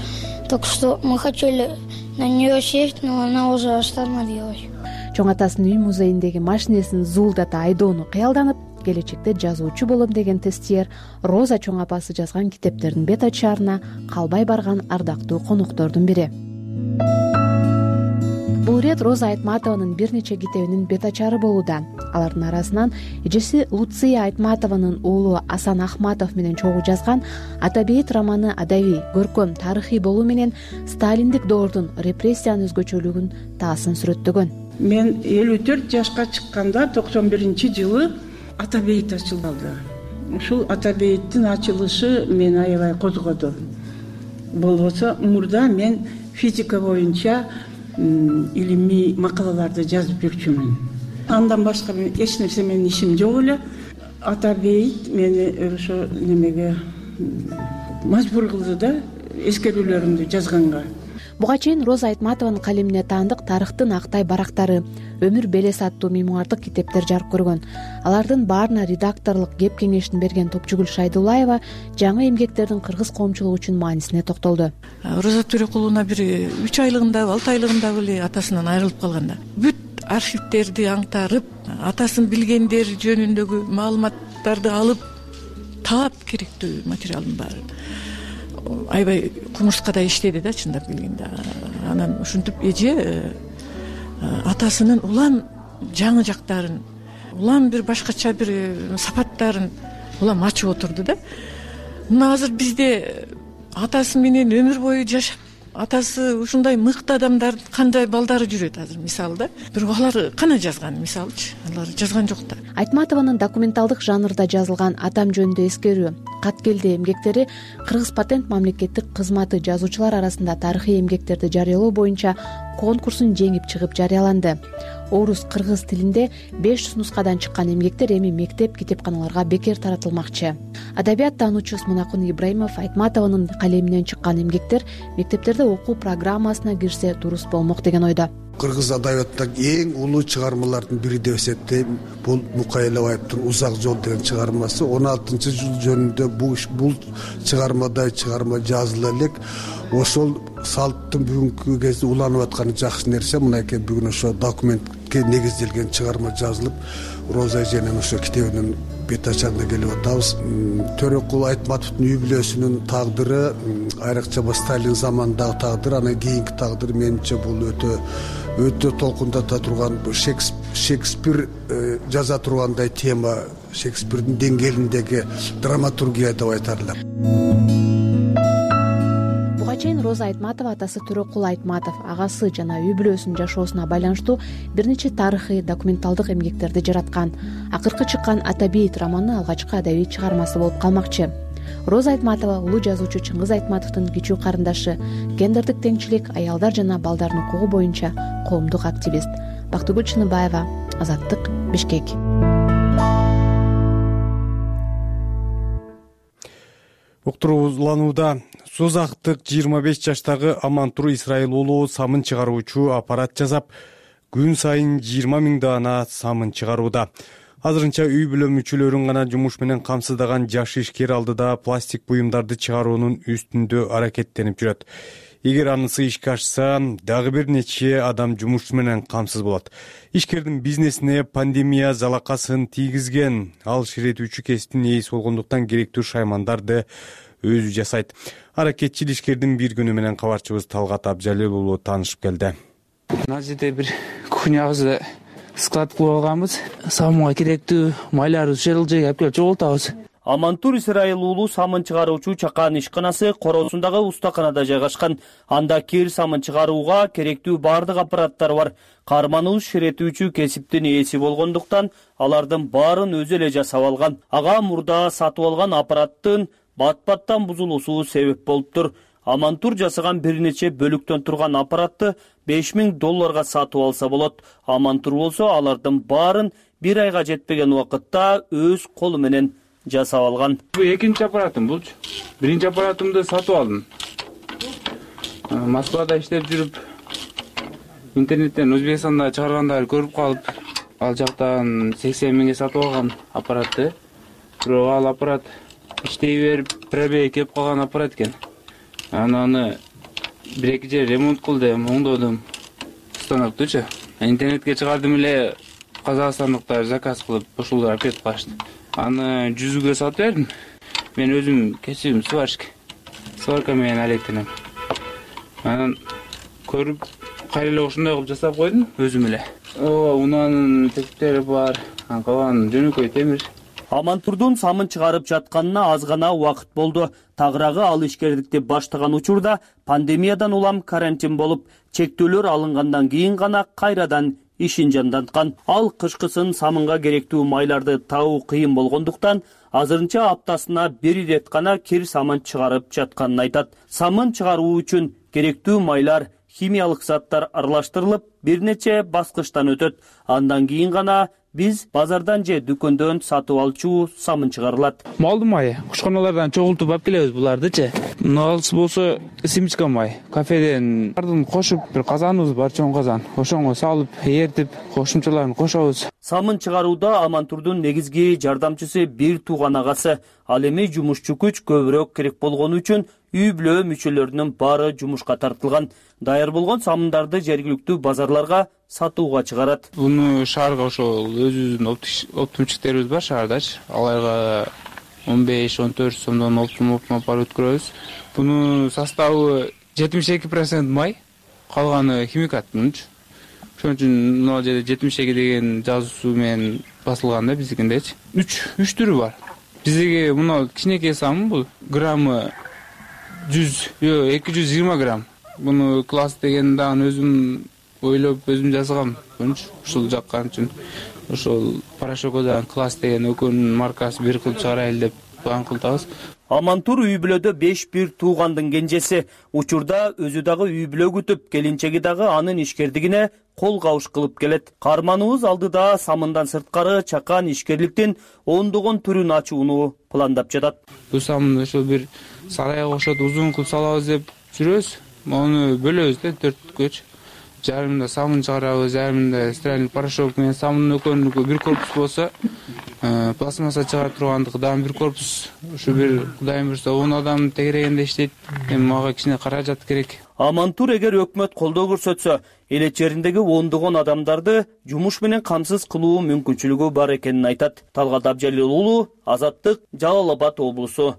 так что мы хотели на нее сесть, но она уже остановилась.
Чоң атасынын үй музейиндеги машинесин зуулдата айдоону кыялданып, келечекте жазуучу болом деген тестиер Роза чоң апасы жазган китептердин бет ачарына калбай барган ардактуу коноктордун бири. Бул ирет Роза Айтматованын бир нече китебинин бет ачары болууда. Алардын арасынан эжеси Луция Айтматованын уулу Асан Ахматов менен чогуу жазган Ата бейит романы адабий, көркөм, тарыхый болуу менен сталиндик доордун репрессиянын өзгөчөлүгүн таасын сүрөттөгөн.
Мен элүү төрт жашка чыкканда токсон биринчи жылы Ата бейит ачылды. Ушул Ата бейиттин ачылышы мени аябай козгоду. Болбосо мурда мен физика боюнча илимий макалаларды жазып жүрчүмүн. Андан башка эч нерсе менин ишим жок эле. Ата бейит мени ошо немеге мажбур кылды да, эскерүүлөрүмдү жазганга.
Буга чейин Роза Айтматованын калемине таандык тарыхтын актай барактары, Өмүр белес аттуу мемуардык китептер жарык көргөн. Алардын баарына редакторлук кеп кеңешин берген Топчугүл Шайдуллаева жаңы эмгектердин кыргыз коомчулугу үчүн маанисине токтолду.
Роза Төрөкуловна бир үч айлыгында, алты айлыгында эле атасынан айрылып калганда, бүт архивтерди аңтарып, атасын билгендер жөнүндөгү маалыматтарды алып, таап керектүү материалдын баарын аябай кумурскадай иштеди да, чындап келгенде. Анан ушинтип эже атасынын улам жаңы жактарын, улам бир башкача бир сапаттарын улам ачып отурду да. Мына азыр бизде атасы менен өмүр бою жашап, атасы ушундай мыкты адамдар кандай балдары жүрөт азыр, мисалы да. Бирок алар кана жазган, мисалычы, алар жазган жок да.
Айтматованын документалдык жанрда жазылган Атам жөнүндө эскерүү, Кат келди эмгектери Кыргыз патент мамлекеттик кызматы жазуучулар арасында тарыхый эмгектерди жарыялоо боюнча конкурсун жеңип чыгып жарыяланды. Орус, кыргыз тилинде беш жүз нускадан чыккан эмгектер эми мектеп китепканаларга бекер таратылмакчы. Адабият таануучу Смунакун Ибраимов Айтматованын калеминен чыккан эмгектер мектептерде окуу программасына кирсе дуруз болмок деген ойдо.
Кыргыз адабияттагы эң улуу чыгармалардын бири деп эсептейм. Бул Мукай Элебаевдин Узак жол деген чыгармасы. он алтынчы жыл жөнүндө бул бул чыгармадай чыгарма жазыла элек. Ошол салттын бүгүнкү кезде уланып атканы жакшы нерсе. Мынакей бүгүн ошо документке негизделген чыгарма жазылып, Роза эженин ошо китебинин бет ачарына келип атабыз. Төрөкул Айтматовдун үй бүлөсүнүн тагдыры, айрыкча Сталин заманындагы тагдыр, анан кийинки тагдыр менимче бул өтө өтө толкундата турган, Шекспир жаза тургандай тема, Шекспирдин деңгээлиндеги драматургия деп айтарлар.
Буга чейин Роза Айтматова атасы Төрөкул Айтматов, агасы жана үй бүлөсүнүн жашоосуна байланыштуу бир нече тарыхый документалдык эмгектерди жараткан. Акыркы чыккан Ата бейит романы алгачкы адабий чыгармасы болуп калмакчы. Роза Айтматова улуу жазуучу Чыңгыз Айтматовдун кичүү карындашы, гендердик теңчилик, аялдар жана балдардын укугу боюнча коомдук активист. Бактыгүл Чыныбаева, Азаттык, Бишкек.
Уктурууланууда Созактык жыйырма беш жаштагы Амантур Исраил уулу самын чыгаруучу аппарат жасап, күн сайын жыйырма миң даана самын чыгарууда. Азырынча үй бүлө мүчөлөрүн гана жумуш менен камсыздаган жаш ишкер алдыда пластик буюмдарды чыгаруунун үстүндө аракеттенип жүрөт. Эгер анысы ишке ашса, дагы бир нече адам жумуш менен камсыз болот. Ишкердин бизнесине пандемия залакасын тийгизген. Ал ширетүүчү кесиптин ээси болгондуктан керектүү шаймандарды өзү жасайт. Аракетчил ишкердин бир күнү менен кабарчыбыз Талгат Абжалел уулу таанышып келди.
Мына жерде бир кухнябызды склад кылып алганбыз. Самынга керектүү майларды ушул жерге алып келип чогултабыз.
Амантур Исраил уулу самын чыгаруучу чакан ишканасы короосундагы устаканада жайгашкан. Анда кир самын чыгарууга керектүү бардык аппараттар бар. Карманыбыз ширетүүчү кесиптин ээси болгондуктан алардын баарын өзү эле жасап алган. Ага мурда сатып алган аппараттын бат-баттан бузулуусу себеп болуптур. Амантур жасаган бир нече бөлүктөн турган аппаратты беш миң долларга сатып алса болот. Амантур болсо алардын баарын бир айга жетпеген убакытта өз колу менен жасап алган.
Бул экинчи аппаратым булчу. Биринчи аппаратымды сатып алдым. Москвада иштеп жүрүп, интернеттен Өзбекстанда чыгаргандарды көрүп калып, ал жактан сексен миңге сатып алган аппаратты. Бирок ал аппарат иштей берип, пробеги кеп калган аппарат экен. Аны бир эки жер ремонт кылдым, оңдодум. Станоктучу. Интернетке чыгардым эле, казакстандыктар заказ кылып, ушул аппарат калышты. Аны жүзгө сатып бердим. Мен өзүм кесибим сварщик. Сварка менен алектенем. Анан көрүп, кайра эле ушундай кылып жасап койдум өзүм эле. Ооба, унаанын тетиктери бар, калган жөнөкөй темир.
Амантурдун самын чыгарып жатканына аз гана убакыт болду. Тагыраагы ал ишкердикти баштаган учурда пандемиядан улам карантин болуп, чектөөлөр алынгандан кийин гана кайрадан ишин жанданткан. Ал кышкысын самынга керектүү майларды табуу кыйын болгондуктан азырынча аптасына бир ирет гана кир самын чыгарып жатканын айтат. Самын чыгаруу үчүн керектүү майлар, химиялык заттар аралаштырылып, бир нече баскычтан өтөт. Андан кийин гана биз базардан же дүкөндөн сатып алчу самын чыгарылат.
Малдын майы, кушканалардан чогултуп алып келебиз булардычы. Муналысы болсо симичка май. Кафеден бардын кошуп, бир казаныбыз бар, чоң казан. Ошоңго салып, эритип, кошумчаларын кошобуз.
Самын чыгарууда Амантурдун негизги жардамчысы бир тууган агасы. Ал эми жумушчу күч көбүрөөк керек болгону үчүн үй бүлө мүчөлөрүнүн баары жумушка тартылган. Даяр болгон самындарды жергиликтүү базарларга сатууга чыгарат.
Буну шаарга ошол өзүбүздүн оптумчиктерибиз бар шаардачы. Аларга он беш он төрт сомдон оптум оптум алып өткөрөбүз. Бунун составы жетимиш эки процент май, калганы химикат мунчу. Ошон үчүн мына жерде жетимиш эки деген жазуусу менен басылган да биздикиндечи. үч үч түрү бар. Биздики мына кичинекей самын бул граммы жүз, жок эки жүз жыйырма грамм. Буну класс деген дагы өзүм ойлоп өзүм жасагам. Ушул жаккан үчүн ошол порошокодон класс деген экөөнүн маркасы бир кылып чыгарайлы деп план кылдыбыз.
Амантур үй бүлөдө беш бир туугандын кенжеси. Учурда өзү дагы үй бүлө күтүп, келинчеги дагы анын ишкердигине кол кабыш кылып келет. Карманыбыз алдыда самындан сырткары чакан ишкерликтин ондогон түрүн ачууну пландап жатат.
Бул самын ошол бир сарайга окшоп узун кылып салабыз деп жүрөбүз. Муну бөлөбүз да төрткөчү. Жарымында самын чыгарабыз, жарымында стиральный порошок менен самын экөөнүкү бир корпус болсо, пластмасса чыгарып тургандыгы дагы бир корпус. Ушу бир кудайым буйрса он адам тегерегенде иштейт. Эми мага кичине каражат керек.
Амантур эгер өкмөт колдоо көрсөтсө, эл чериндеги ондогон адамдарды жумуш менен камсыз кылуу мүмкүнчүлүгү бар экенин айтат. Талгат Абжалил уулу, Азаттык, Жалал Абад облусу.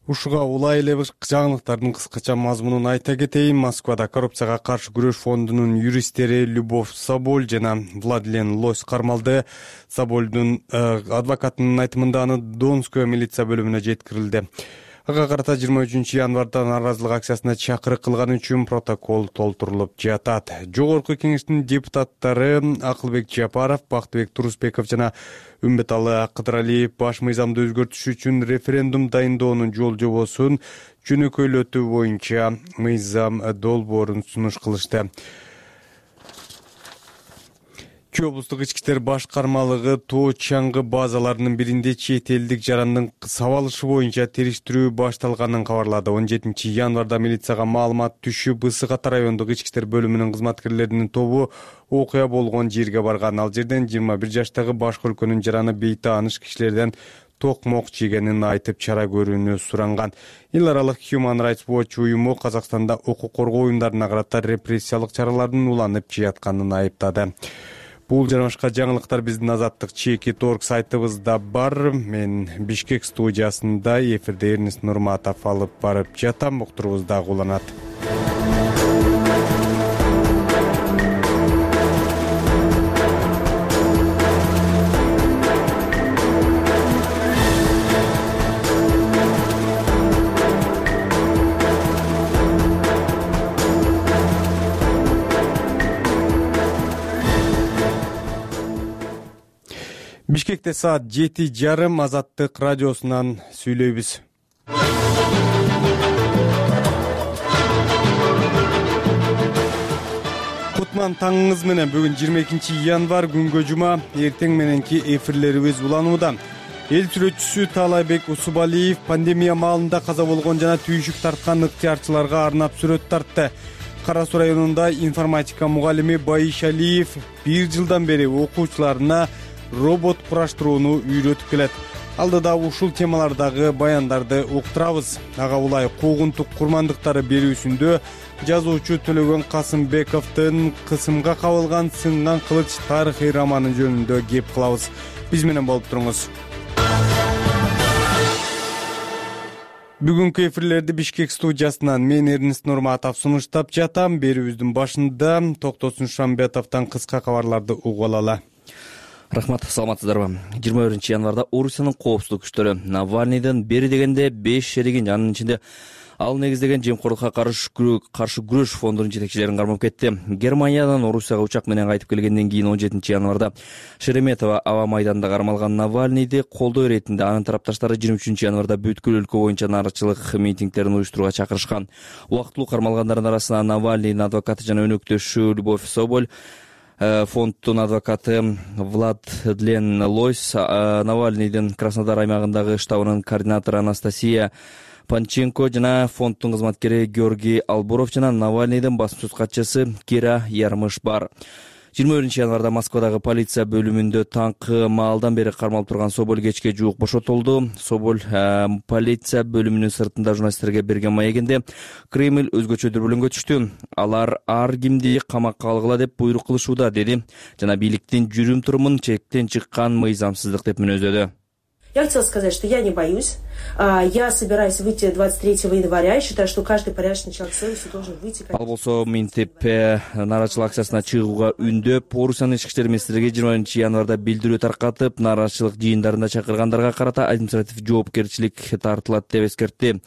Ушуга улай эле жаңылыктардын кыскача мазмунун айта кетейин. Москвада коррупцияга каршы күрөш фондунун юристтери Любовь Соболь жана Владлен Лось кармалды. Собольдун адвокатынын айтымында аны Донская милиция бөлүмүнө жеткирилди. Ага карата жыйырма үчүнчү январда нааразылык акциясына чакырык кылган үчүн протокол толтурулуп жатат. Жогорку кеңештин депутаттары Акылбек Жапаров, Бактыбек Турусбеков жана Үмбеталы Кыдыралиев баш мыйзамды өзгөртүш үчүн референдум дайындоонун жол жобосун жөнөкөйлөтүү боюнча мыйзам долбоорун сунуш кылышты. Чүй облустук ички иштер башкармалыгы тоо чаңгы базаларынын биринде чет элдик жарандын сабалышы боюнча териштирүү башталганын кабарлады. он жетинчи январда милицияга маалымат түшүп, Ысык Ата райондук ички иштер бөлүмүнүн кызматкерлеринин тобу окуя болгон жерге барган. Ал жерден жыйырма бир жаштагы башка өлкөнүн жараны бейтааныш кишилерден токмок жегенин айтып чара көрүүнү суранган. Эл аралык Human Rights Watch уюму Казакстанда укук коргоо уюмдарына карата репрессиялык чаралардын уланып жатканын айыптады. Бул жана башка жаңылыктар биздин Азаттык чеки торг сайтыбызда бар. Мен Бишкек студиясында эфирде Эрнест Нурматов алып барып жатам. Уктурубуз дагы уланат. Бишкекте саат жети жарым Азаттык радиосунан сүйлөйбүз. Кутман таңыңыз менен. Бүгүн жыйырма экинчи январь күнгө жума. Эртең мененки эфирлерибиз уланууда. Эл сүрөтчүсү Таалайбек Усубалиев пандемия маалында каза болгон жана түйшүк тарткан ыктыярчыларга арнап сүрөт тартты. Кара Суу районунда информатика мугалими Байыш Алиев бир жылдан бери окуучуларына робот кураштырууну үйрөтүп келет. Алдыда ушул темалардагы баяндарды уктурабыз. Ага улай куугунтук курмандыктары берүүсүндө жазуучу Төлөгөн Касымбековдун кысымга кабылган сынган кылыч тарыхый романы жөнүндө кеп кылабыз. Биз менен болуп туруңуз. Бүгүнкү эфирлерди Бишкек студиясынан мен Эрнест Нурматов сунуштап жатам. Берүүбүздүн башында Токтосун Шамбетовдон кыска кабарларды угуп алалы.
Рахмат, саламатсыздарбы? жыйырма биринчи январда Орусиянын коопсуздук күчтөрү Навальныйдын бери дегенде беш шеригин, анын ичинде ал негиздеген жемкорлукка каршы күрөш фондунун жетекчилерин кармап кетти. Германиядан Орусияга учак менен кайтып келгенден кийин он жетинчи январда Шереметова аба майданында кармалган Навальныйды колдоо иретинде анын тарапташтары жыйырма үчүнчү январда бүткүл өлкө боюнча нааразычылык митингдерин уюштурууга чакырышкан. Убактылуу кармалгандардын арасында Навальныйдын адвокаты жана өнөктөшү Любовь Соболь, фонддун адвокаты Владлен Лойс, Навальныйдын Краснодар аймагындагы штабынын координатору Анастасия Панченко жана фонддун кызматкери Георгий Албуров жана Навальныйдын басма сөз катчысы Кира Ярмыш бар. жыйырма биринчи январда Москвадагы полиция бөлүмүндө таңкы маалдан бери кармалып турган Соболь кечке жуук бошотулду. Соболь полиция бөлүмүнүн сыртында журналисттерге берген маегинде Кремль өзгөчө дүрбөлөңгө түштү. Алар ар кимди камакка алгыла деп буйрук кылышууда, деди жана бийликтин жүрүм-турумун чектен чыккан мыйзамсыздык деп мүнөздөдү.
Я хотела сказать, что я не боюсь. Я собираюсь выйти двадцать третьего января и считаю, что каждый порядочный человек с совестью должен выйти.
Ал болсо минтип нааразычылык акциясына чыгууга үндөп, Орусиянын ички иштер министрлиги жыйырма биринчи январда билдирүү таркатып, нааразычылык жыйындарында чакыргандарга карата административ жоопкерчилик тартылат деп эскертти.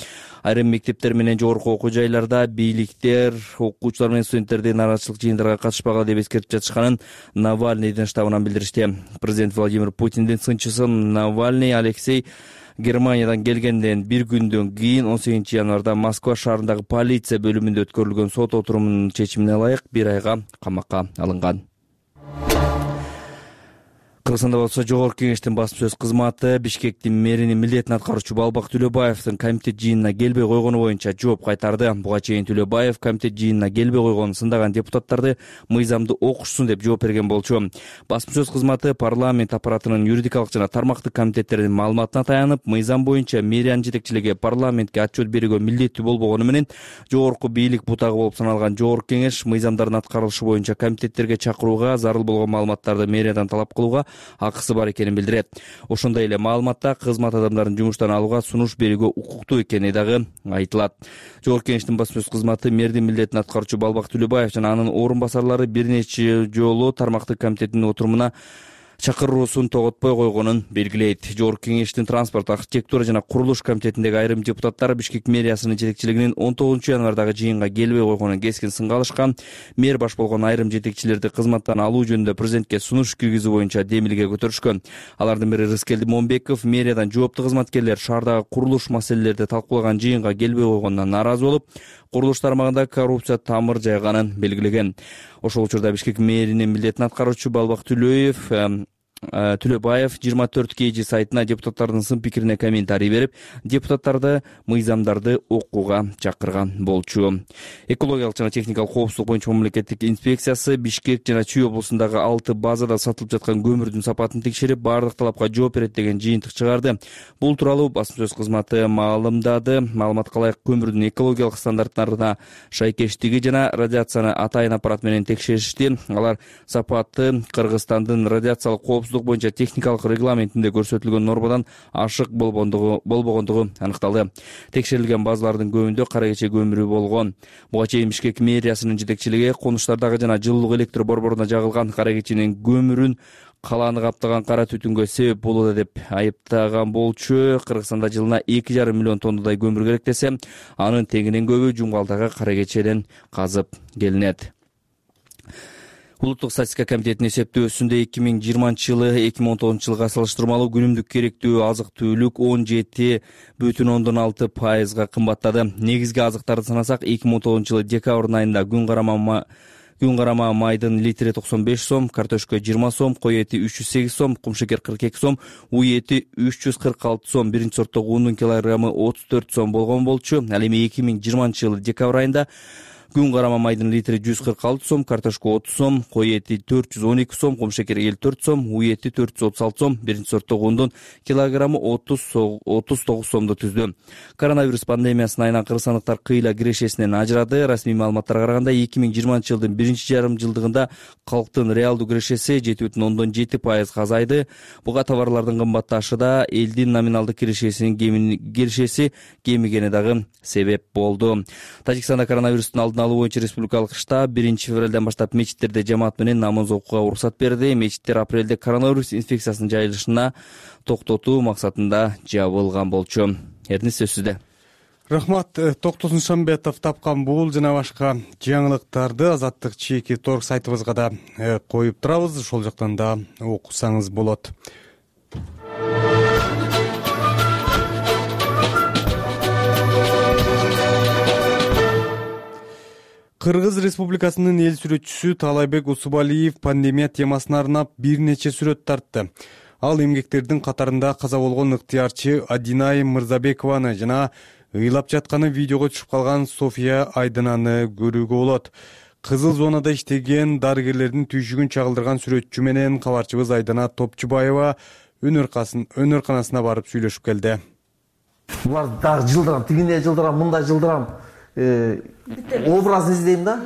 Айрым мектептер менен жогорку окуу жайларда бийликтер окуучулар менен студенттерди нааразычылык жыйындарга катышпагыла деп эскертип жатышканын Навальныйдын штабынан билдиришти. Президент Владимир Путиндин сынчысы Навальный Алексей Германиядан келгенден бир күндөн кийин он сегизинчи январда Москва шаарындагы полиция бөлүмүндө өткөрүлгөн сот отурумунун чечимине ылайык бир айга камакка алынган. Кыргызстанда болсо Жогорку Кеңештин басма сөз кызматы Бишкектин мэринин милдетин аткаруучу Балбак Төлөбаевдин комитет жыйынына келбей койгону боюнча жооп кайтарды. Буга чейин Төлөбаев комитет жыйынына келбей койгонун сындаган депутаттарды мыйзамды окушсун деп жооп берген болчу. Басма сөз кызматы парламент аппаратынын юридикалык жана тармактык комитеттеринин маалыматына таянып, мыйзам боюнча мэриянын жетекчилиги парламентке отчет берүүгө милдеттүү болбогону менен жогорку бийлик бутагы болуп саналган Жогорку Кеңеш мыйзамдардын аткарылышы боюнча комитеттерге чакырууга, зарыл болгон маалыматтарды мэриядан талап кылууга акысы бар экенин билдирет. Ошондой эле маалыматта кызмат адамдарын жумуштан алууга сунуш берүүгө укуктуу экени дагы айтылат. Жогорку Кеңештин басма сөз кызматы мэрдин милдетин аткаруучу Балбак Төлөбаев жана анын орун басарлары бир нече жолу тармактык комитеттин отурумуна чакыруусун тоготпой койгонун белгилейт. Жогорку Кеңештин транспорт, архитектура жана курулуш комитетиндеги айрым депутаттар Бишкек мэриясынын жетекчилигинин он тогузунчу январдагы жыйынга келбей койгонун кескин сынга алышкан. Мэр баш болгон айрым жетекчилерди кызматтан алуу жөнүндө президентке сунуш киргизүү боюнча демилге көтөрүшкөн. Алардын бири Рыскелди Момбеков мэриядан жооптуу кызматкерлер шаардагы курулуш маселелерди талкуулаган жыйынга келбей койгонуна нааразы болуп, курулуш тармагында коррупция тамыр жайганын белгилеген. Ошол учурда Бишкек мэринин милдетин аткаруучу Балбак Төлөев Төлөбаев жыйырма төрт кей жи сайтына депутаттардын сын пикирине комментарий берип, депутаттарды мыйзамдарды окууга чакырган болчу. Экологиялык жана техникалык коопсуздук боюнча мамлекеттик инспекциясы Бишкек жана Чүй облусундагы алты базада сатылып жаткан көмүрдүн сапатын текшерип, баардык талапка жооп берет деген жыйынтык чыгарды. Бул тууралуу басма сөз кызматы маалымдады. Маалыматка ылайык көмүрдүн экологиялык стандарттарына шайкештиги жана радиацияны атайын аппарат менен текшеришти. Алар сапаты Кыргызстандын радиациялык коопсуздук боюнча техникалык регламентинде көрсөтүлгөн нормадан ашык болбогондугу болбогондугу аныкталды. Текшерилген базалардын көбүндө кара кече көмүрү болгон. Буга чейин Бишкек мэриясынын жетекчилиги конуштардагы жана жылуулук электр борборуна жагылган кара кеченин көмүрүн калааны каптаган кара түтүнгө себеп болууда деп айыптаган болчу. Кыргызстанда жылына эки жарым миллион тоннадай көмүр керек десе, анын тегинен көбү жумгалдагы кара кечеден казып келинет. Улуттук статистика комитетинин эсептөөсүндө эки миң жыйырманчы жылы эки миң он тогузунчу жылга салыштырмалуу күнүмдүк керектүү азык түлүк он жети бүтүн ондон алты пайызга кымбаттады. Негизги азыктарды санасак, эки миң он тогузунчу жылы декабрь айында күн карама күн карама майдын литри токсон беш сом, картошка жыйырма сом, кой эти үч жүз сегиз сом, кумшекер кырк эки сом, уй эти үч жүз кырк алты сом, биринчи сорттогу ундун килограммы отуз төрт сом болгон болчу. Ал эми эки миң жыйырманчы жылы декабрь айында күн карама майдын литри жүз кырк алты сом, картошка отуз сом, кой эти төрт жүз он эки сом, кумшекер элүү төрт сом, уй эти төрт жүз отуз алты сом, биринчи сорттогу ундун килограммы отуз тогуз сомду түздү. Коронавирус пандемиясынын айынан кыргызстандыктар кыйла кирешесинен ажырады. Расмий маалыматтарга караганда эки миң жыйырманчы жылдын биринчи жарым жылдыгында калктын реалдуу кирешеси жети бүтүн ондон жети пайызга азайды. Буга товарлардын кымбатташы да, элдин номиналдык кирешесинин кирешеси кемигени дагы себеп болду. Тажикстанда коронавирустун алдын алуу боюнча республикалык штаб биринчи февралдан баштап мечиттерде жамаат менен намаз окууга уруксат берди. Мечиттер апрелде коронавирус инфекциясынын жайылышына токтотуу максатында жабылган болчу. Эрдин сөз сизде.
Рахмат. Токтосун Шамбетов тапкан бул жана башка жаңылыктарды Азаттык чеки торг сайтыбызга да коюп турабыз. Ошол жактан да окусаңыз болот. Кыргыз Республикасынын эл сүрөтчүсү Таалайбек Усубалиев пандемия темасына арнап бир нече сүрөт тартты. Ал эмгектердин катарында каза болгон ыктыярчы Адинай Мырзабекованы жана ыйлап жатканы видеого түшүп калган София Айдынаны көрүүгө болот. Кызыл зонада иштеген дарыгерлердин түйшүгүн чагылдырган сүрөтчү менен кабарчыбыз Айдана Топчубаева өнөр канасына барып сүйлөшүп келди.
Булар дагы жылдырам, тигине жылдырам, мындай жылдырам. Образын издейм да,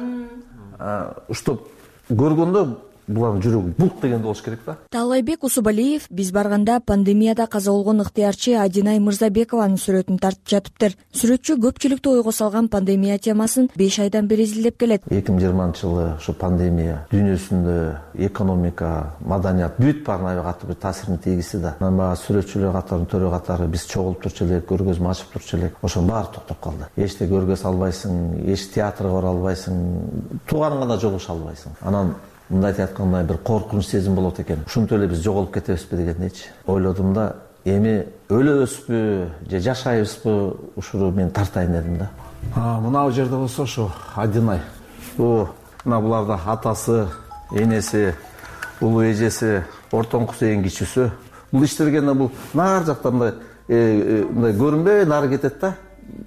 чтоб көргөндө булардын жүрөгү булк дегенде болуш керек да.
Таалайбек Усубалиев биз барганда пандемияда каза болгон ыктыярчы Адинай Мырзабекованын сүрөтүн тартып жатыптыр. Сүрөтчү көпчүлүктү ойго салган пандемия темасын беш айдан бери изилдеп келет.
эки миң жыйырманчы жылы ушу пандемия дүйнөсүндө экономика, маданият бүт баарына аябай катуу бир таасирин тийгизди да. Анан сүрөтчүлөр катарынын төрө катары биз чогулуп турчу элек, көргөзмө ачып турчу элек. Ошонун баары токтоп калды. Эчте көргөзө албайсың, эч театрга бара албайсың, тууганыңа да жолугуша албайсың. Анан мындайт айтканда бир коркунуч сезим болот экен. Ушинтип эле биз жоголуп кетебизби дегендейчи ойлодум да, эми өлөбүзбү же жашайбызбы, ушуну мен тартайын дедим да. Мына бул жерде болсо ушу Адинай. Мына буларда атасы, энеси, улуу эжеси, ортоңкусу эң кичүүсү. Бул иштергенде бул нар жакта мындай мындай көрүнбөй нары кетет да.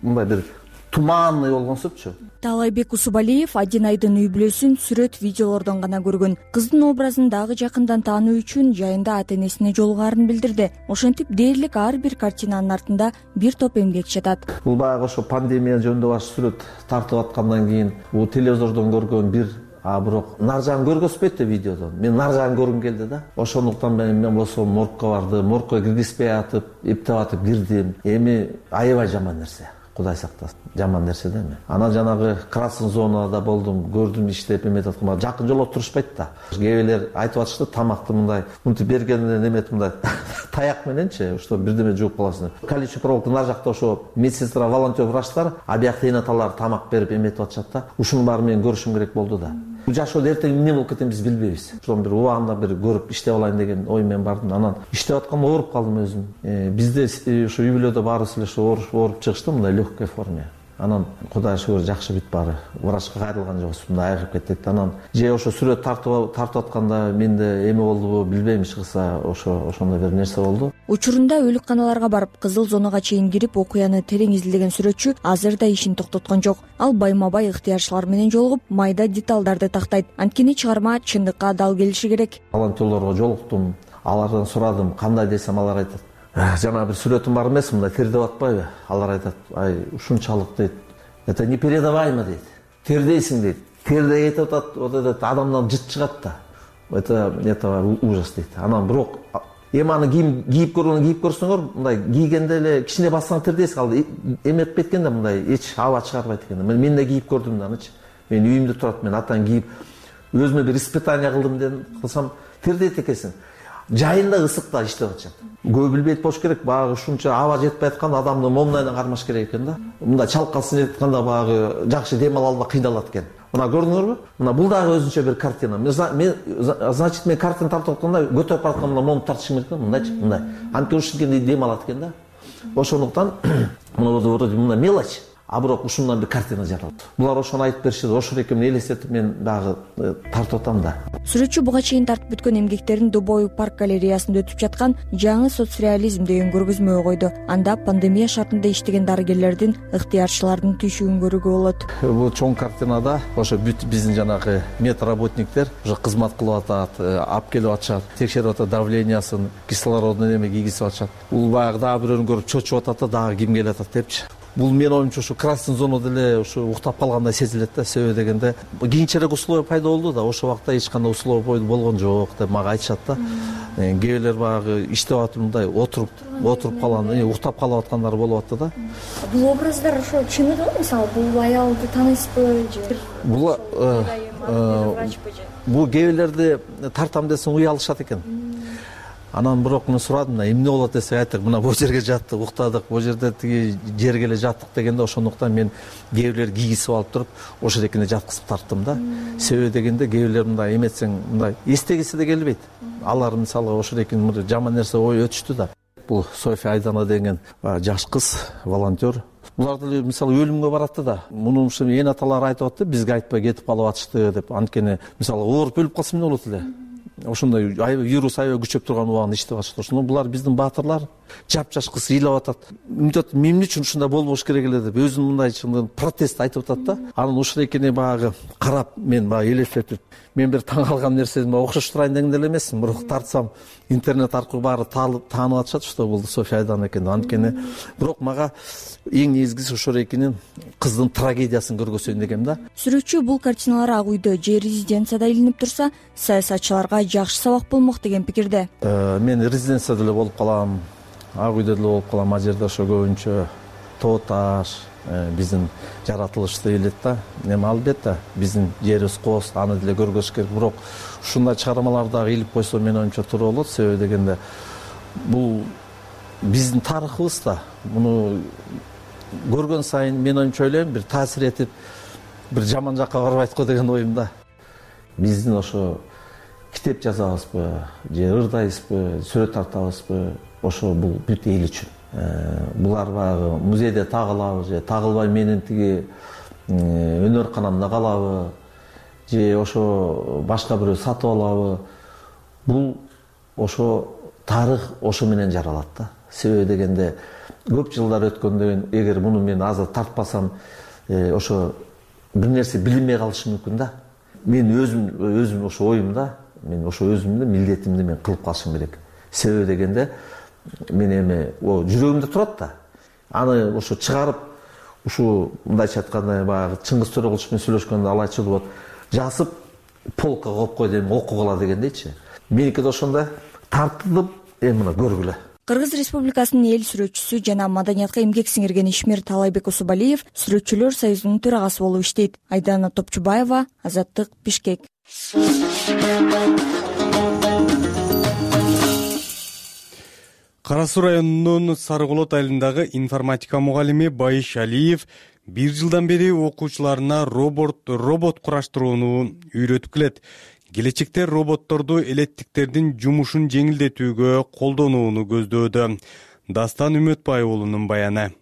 Мындай бир туманный болгонсупчу.
Таалайбек Усубалиев Адинайдын үй бүлөсүн сүрөт видеолордон гана көргөн. Кыздын образын дагы жакындан таануу үчүн жайында ата-энесине жолугаарын билдирди. Ошентип дээрлик ар бир картинанын артында бир топ эмгек жатат.
Бул баягы ошо пандемия жөнүндө баш сүрөт тартып аткандан кийин бул телевизордон көргөн бир, а бирок нар жагын көргөзбөйт да видеодон. Мен нар жагын көргүм келди да. Ошондуктан мен мен болсо моргко бардым, моргко киргизбей атып, эптеп атып кирдим. Эми аябай жаман нерсе. Кудай сактасын, жаман нерсе да эми. Анан жанагы красный зонада болдум, көрдүм иштеп эметип аткан. Жакын жолго турушпайт да. Кээбелер айтып атышты, тамакты мындай мынтип бергенде неметип мындай таяк мененчи, что бирдеме жууп каласың. Колючий проволока нар жакта ошо медсестра, волонтер, врачтар, а биякта энаталар тамак берип эметип атышат да. Ушунун баарын мен көрүшүм керек болду да. Жашоодо эртең эмне болуп кетебиз биз билбейбиз. Ошон бир убагында бир көрүп иштеп алайын деген ой менен бардым. Анан иштеп атканда ооруп калдым өзүм. Бизде ошо үй бүлөдө баарыбыз эле ошо ооруп чыгышты мындай легкой форме. Анан Кудайга шүгүр жакшы бүт баары. Врачка кайрылган жокпуз, мындай айыгып кеттик. Анан же ошо сүрөт тартып тартып атканда менде эме болдубу билбейм, чыкса ошо ошондой бир нерсе болду.
Учурунда өлүкканаларга барып кызыл зонага чейин кирип окуяны терең изилдеген сүрөтчү азыр да ишин токтоткон жок. Ал байма-бай ыктыярчылар менен жолугуп, майда деталдарды тактайт. Анткени чыгарма чындыкка дал келиши керек.
Волонтерлорго жолуктум, алардан сурадым, кандай десем алар айтат. Жана бир сүрөтүм бар эмес, мындай тердеп атпайбы? Алар айтат, ай ушунчалык дейт. Это непередаваемо дейт. Тердейсиң дейт. Тердей кетип атат, вот этот адамдан жыт чыгат да. Это это ужас дейт. Анан бирок эми аны кийип көргөн кийип көрсөңөр, мындай кийгенде эле кичине бассаң тердейсиң, ал эметип кеткенде мындай эч аба чыгарбайт экен. Мен да кийип көрдүм да анычы. Мен үйүмдө турат, мен атан кийип өзүмө бир испытание кылдым дедим, кылсам тердейт экенсиң. Жайында ысыкта иштеп атышат. Көп билбейт болуш керек, багы ушунча аба жетпей аткан адамды момнайдан кармаш керек экен да. Мындай чалкалсын деп атканда багы жакшы дем ала албай кыйналат экен. мына көрдүңөрбү? Мына бул дагы өзүнчө бир картина. Мен значит мен картина тартып атканда көтөрүп баратканда мына мону тартышым керек да, мындайчы, мындай. Анткени ушинткен дем алат экен да. Ошондуктан мына вроде мына мелочь, а бирок ушундан бир картина жаралат. Булар ошону айтып беришет, ошол экенин элестетип мен дагы тартып атам да.
Сүрөтчү буга чейин тартып бүткөн эмгектерин Дубой парк галереясында өтүп жаткан жаңы соцреализм деген көргөзмөгө койду. Анда пандемия шартында иштеген дарыгерлердин, ыктыярчылардын түйшүгүн көрүүгө болот.
Бул чоң картинада ошо бүт биздин жанагы медработниктер уже кызмат кылып атат, алып келип атышат, текшерип атат давлениясын, кислородун эме кийгизип атышат. Бул баягы дагы бирөөнү көрүп чочуп атат да, дагы ким келип атат депчи. Бул менин оюмча ушу красный зонада эле ушу уктап калгандай сезилет да. Себеби дегенде кийинчерээк условия пайда болду да, ошол убакта эч кандай условия болгон жок деп мага айтышат да. Кээ бирлер баягы иштеп атып мындай отуруп отуруп калган, уктап калып аткандар болуп атты да.
Бул образдар ошо чыныгы, мисалы бул аялды тааныйсызбы же?
Бул бул кээ бирлерди тартам десең уялышат экен. Анан бирок мен сурадым, эмне болот десе айттык, мына бул жерге жаттык, уктадык, бул жерде тиги жерге эле жаттык дегенде ошондуктан мен кээ бирлер кийгизип алып туруп ошол экине жаткызып тарттым да. Себеби дегенде кээ бирлер мындай эметсең мындай эстегиси да келбейт. Алар мисалы ошол экини жаман нерсе ой өтүштү да. Бул София Айдана деген жаш кыз, волонтер. Булар деле мисалы өлүмгө баратты да. Муну ушу эн аталар айтып атты, бизге айтпай кетип калып атышты деп. Анткени мисалы ооруп өлүп калса эмне болот эле? Ошондой вирус аябай күчөп турган убагында иштеп атышты. Ошондо булар биздин баатырлар жапжаш кыз ыйлап атат. Мынтип эмне үчүн ушундай болбош керек эле деп өзүн мындай протест айтып атат да. Анан ушул экени багы карап мен багы элестетип, мен бир таң калган нерсем окшош турайын деген деле эмесмин. Бирок тартсам интернет аркылуу баары таанып атышат, что бул София Айдана экен. Анткени бирок мага эң негизгиси ошол экенин кыздын трагедиясын көргөзөйүн дегем да.
Сүрөтчү бул картиналар ак үйдө же резиденцияда илинип турса, саясатчыларга жакшы сабак болмок деген пикирде.
Мен резиденцияда эле болуп калам, ак үйдө эле болуп калам. А жерде ошо көбүнчө тоо таш, биздин жаратылышты илет да. Эми албетте биздин жерибиз кооз, аны деле көргөзүш керек. Бирок ушундай чыгармаларды дагы илип койсо менин оюмча туура болот. Себеби дегенде бул биздин тарыхыбыз да. Муну көргөн сайын мен оюмча ойлойм, бир таасир этип, бир жаман жакка барбайт го деген оюмда. Биздин ошо китеп жазабызбы, же ырдайбызбы, сүрөт тартабызбы, ошо бул бүт эл үчүн. Булар баягы музейде тагылабы же тагылбай менин тиги өнөр канамда калабы, же ошо башка бирөө сатып алабы. Бул ошо тарых ошо менен жаралат да. Себеби дегенде көп жылдар өткөндөн эгер муну мен азыр тартпасам, ошо бир нерсе билинбей калышы мүмкүн да. Мен өзүм өзүм ошо оюмда, мен ошо өзүмдү милдетимди мен кылып калышым керек. Себеби дегенде мен эми о жүрөгүмдө турат да. Аны ошо чыгарып, ушу мындайча айтканда баягы Чыңгыз Төрөкулович менен сүйлөшкөндө ал айтчу болот, жазып полкага коюп кой дейм, окугула дегендейчи. Меники да ошондой тартылып, эми мына көргүлө.
Кыргыз Республикасынын эл сүрөтчүсү жана маданиятка эмгек сиңирген ишмер Талайбек Усубалиев Сүрөтчүлөр союзунун төрагасы болуп иштейт. Айдана Топчубаева, Азаттык, Бишкек.
Кара Суу районунун Сарыколот айылындагы информатика мугалими Байыш Алиев бир жылдан бери окуучуларына робот робот кураштырууну үйрөтүп келет. Келечекте роботторду элеттиктердин жумушун жеңилдетүүгө колдонууну көздөөдө. Дастан Үмөтбай уулунун баяны.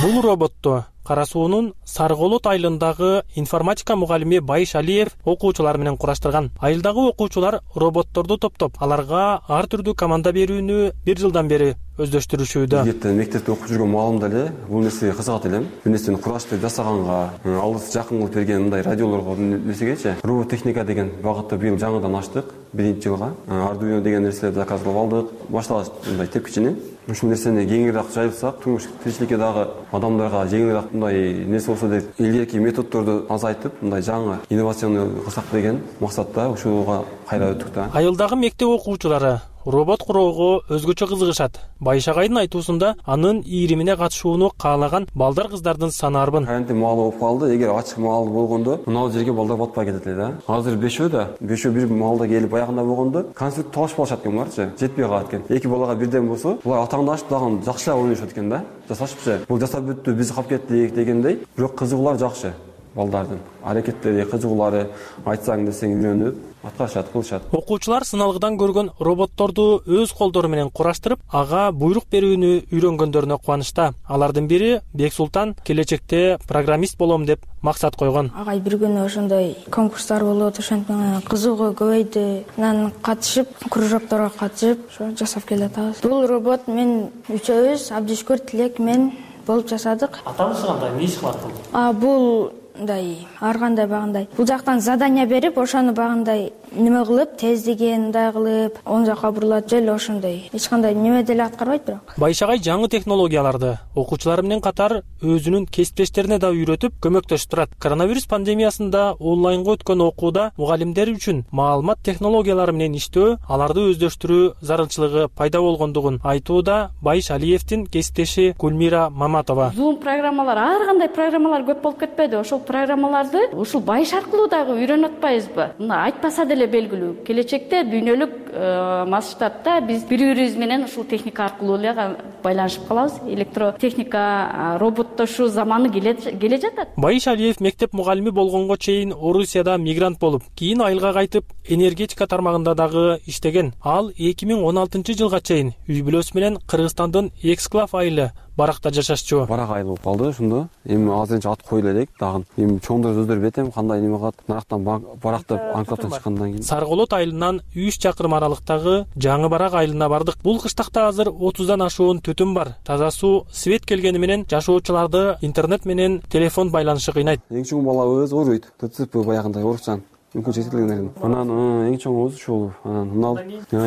Бул роботто Кара Суунун Сарыколот айылындагы информатика мугалими Байыш Алиев окуучулар менен кураштырган. Айылдагы окуучулар роботторду топтоп, аларга ар түрдүү команда берүүнү бир жылдан бери өздөштүрүшүүдө.
Эртең мектепте окуп жүргөн мугалим деле бул нерсеге кызыгат элем. Бул нерсени кураштырып жасаганга, алыс жакын кылып берген мындай радиолорго нерсегечи робот техника деген багытта быйыл жаңыдан ачтык биринчи жылга. Ардуино деген нерселерди заказлап алдык. Башталгыч мындай тепкичини. Ушул нерсени кеңирээк жайылтсак, турмуш тиричиликке дагы адамдарга жеңилирээк мындай нерсе болсо деп илгерки методдорду азайтып, мындай жаңы инновационный кылсак деген максатта ушуга кайра өттүк да.
Айылдагы мектеп окуучулары робот куроого өзгөчө кызыгышат. Байшагайдын айтуусунда анын ийримине катышууну каалаган балдар кыздардын саны арбын.
Карантин маалы болуп калды. Эгер ачык маал болгондо мына жерге балдар батпай кетет эле да. Азыр бешөө да, бешөө бир маалда келип баягында болгондо конспект талашып алышат экен буларчы. Жетпей калат экен. Эки балага бирден болсо, булар атаңдашып дагы жакшылап ойношот экен да. Жасашыпчы. Бул жасап бүттү, биз калып кеттик дегендей. Бирок кызыгуулар жакшы. Балдардын аракеттери, кызыгуулары, айтсаң десең үйрөнүп, аткарышат, кылышат.
Окуучулар сыналгыдан көргөн роботторду өз колдору менен кураштырып, ага буйрук берүүнү үйрөнгөндөрүнө кубанычта. Алардын бири Бексултан келечекте программист болом деп максат койгон.
Агай бир күнү ошондой конкурстар болот, ошентип кызыгуу көбөйдү. Анан катышып, кружокторго катышып, ошо жасап келатабыз. Бул робот мен үчөөбүз, Абдишкүр, Тилек, мен болуп жасадык.
Атаңыз кандай, эмне иш кылат бул?
А бул мындай ар кандай багындай бул жактан задание берип, ошону багындай неме кылып, тездигин мындай кылып, оң жакка бурулат, жел ошондой. Эч кандай неме деле аткарбайт бирок.
Байшагай жаңы технологияларды окуучулар менен катар өзүнүн кесиптештерине да үйрөтүп көмөктөшүп турат. Коронавирус пандемиясында онлайнга өткөн окууда мугалимдер үчүн маалымат технологиялары менен иштөө, аларды өздөштүрүү зарылчылыгы пайда болгондугун айтууда Байш Алиевдин кесиптеши Гүлмира Маматова.
Zoom программалар, ар кандай программалар көп болуп кетпеди. Ошол программаларды ушул Байш аркылуу дагы үйрөнүп атпайбызбы? Мына айтпаса деле белгилүү. Келечекте дүйнөлүк масштабта биз бири-бирибиз менен ушул техника аркылуу эле байланышып калабыз. Электротехника, роботтошуу заманы келе жатат.
Байш Алиев мектеп мугалими болгонго чейин Орусияда мигрант болуп, кийин айылга кайтып, энергетика тармагында дагы иштеген. Ал эки миң он алтынчы жылга чейин үй бүлөсү менен Кыргызстандын Эксклав айылы баракта жашашчу.
Барак айыл болуп калды ошондо. Эми азырынча ат коюла элек дагы. Эми чоңдор өздөрү билет, кандай неме кылат. Нарактан барактап анклавдан чыккандан кийин
Сарголот айылынан үч чакырым аралыктагы Жаңы Барак айылына бардык. Бул кыштакта азыр отуздан ашуун түтүн бар. Таза суу, свет келгени менен жашоочуларды интернет менен телефон байланышы кыйнайт.
Эң чоң балабыз ооруйт. ТЦП баягындай оорукчан. Мүмкүн жетилген. Анан эң чоңубуз ушул. Анан мынал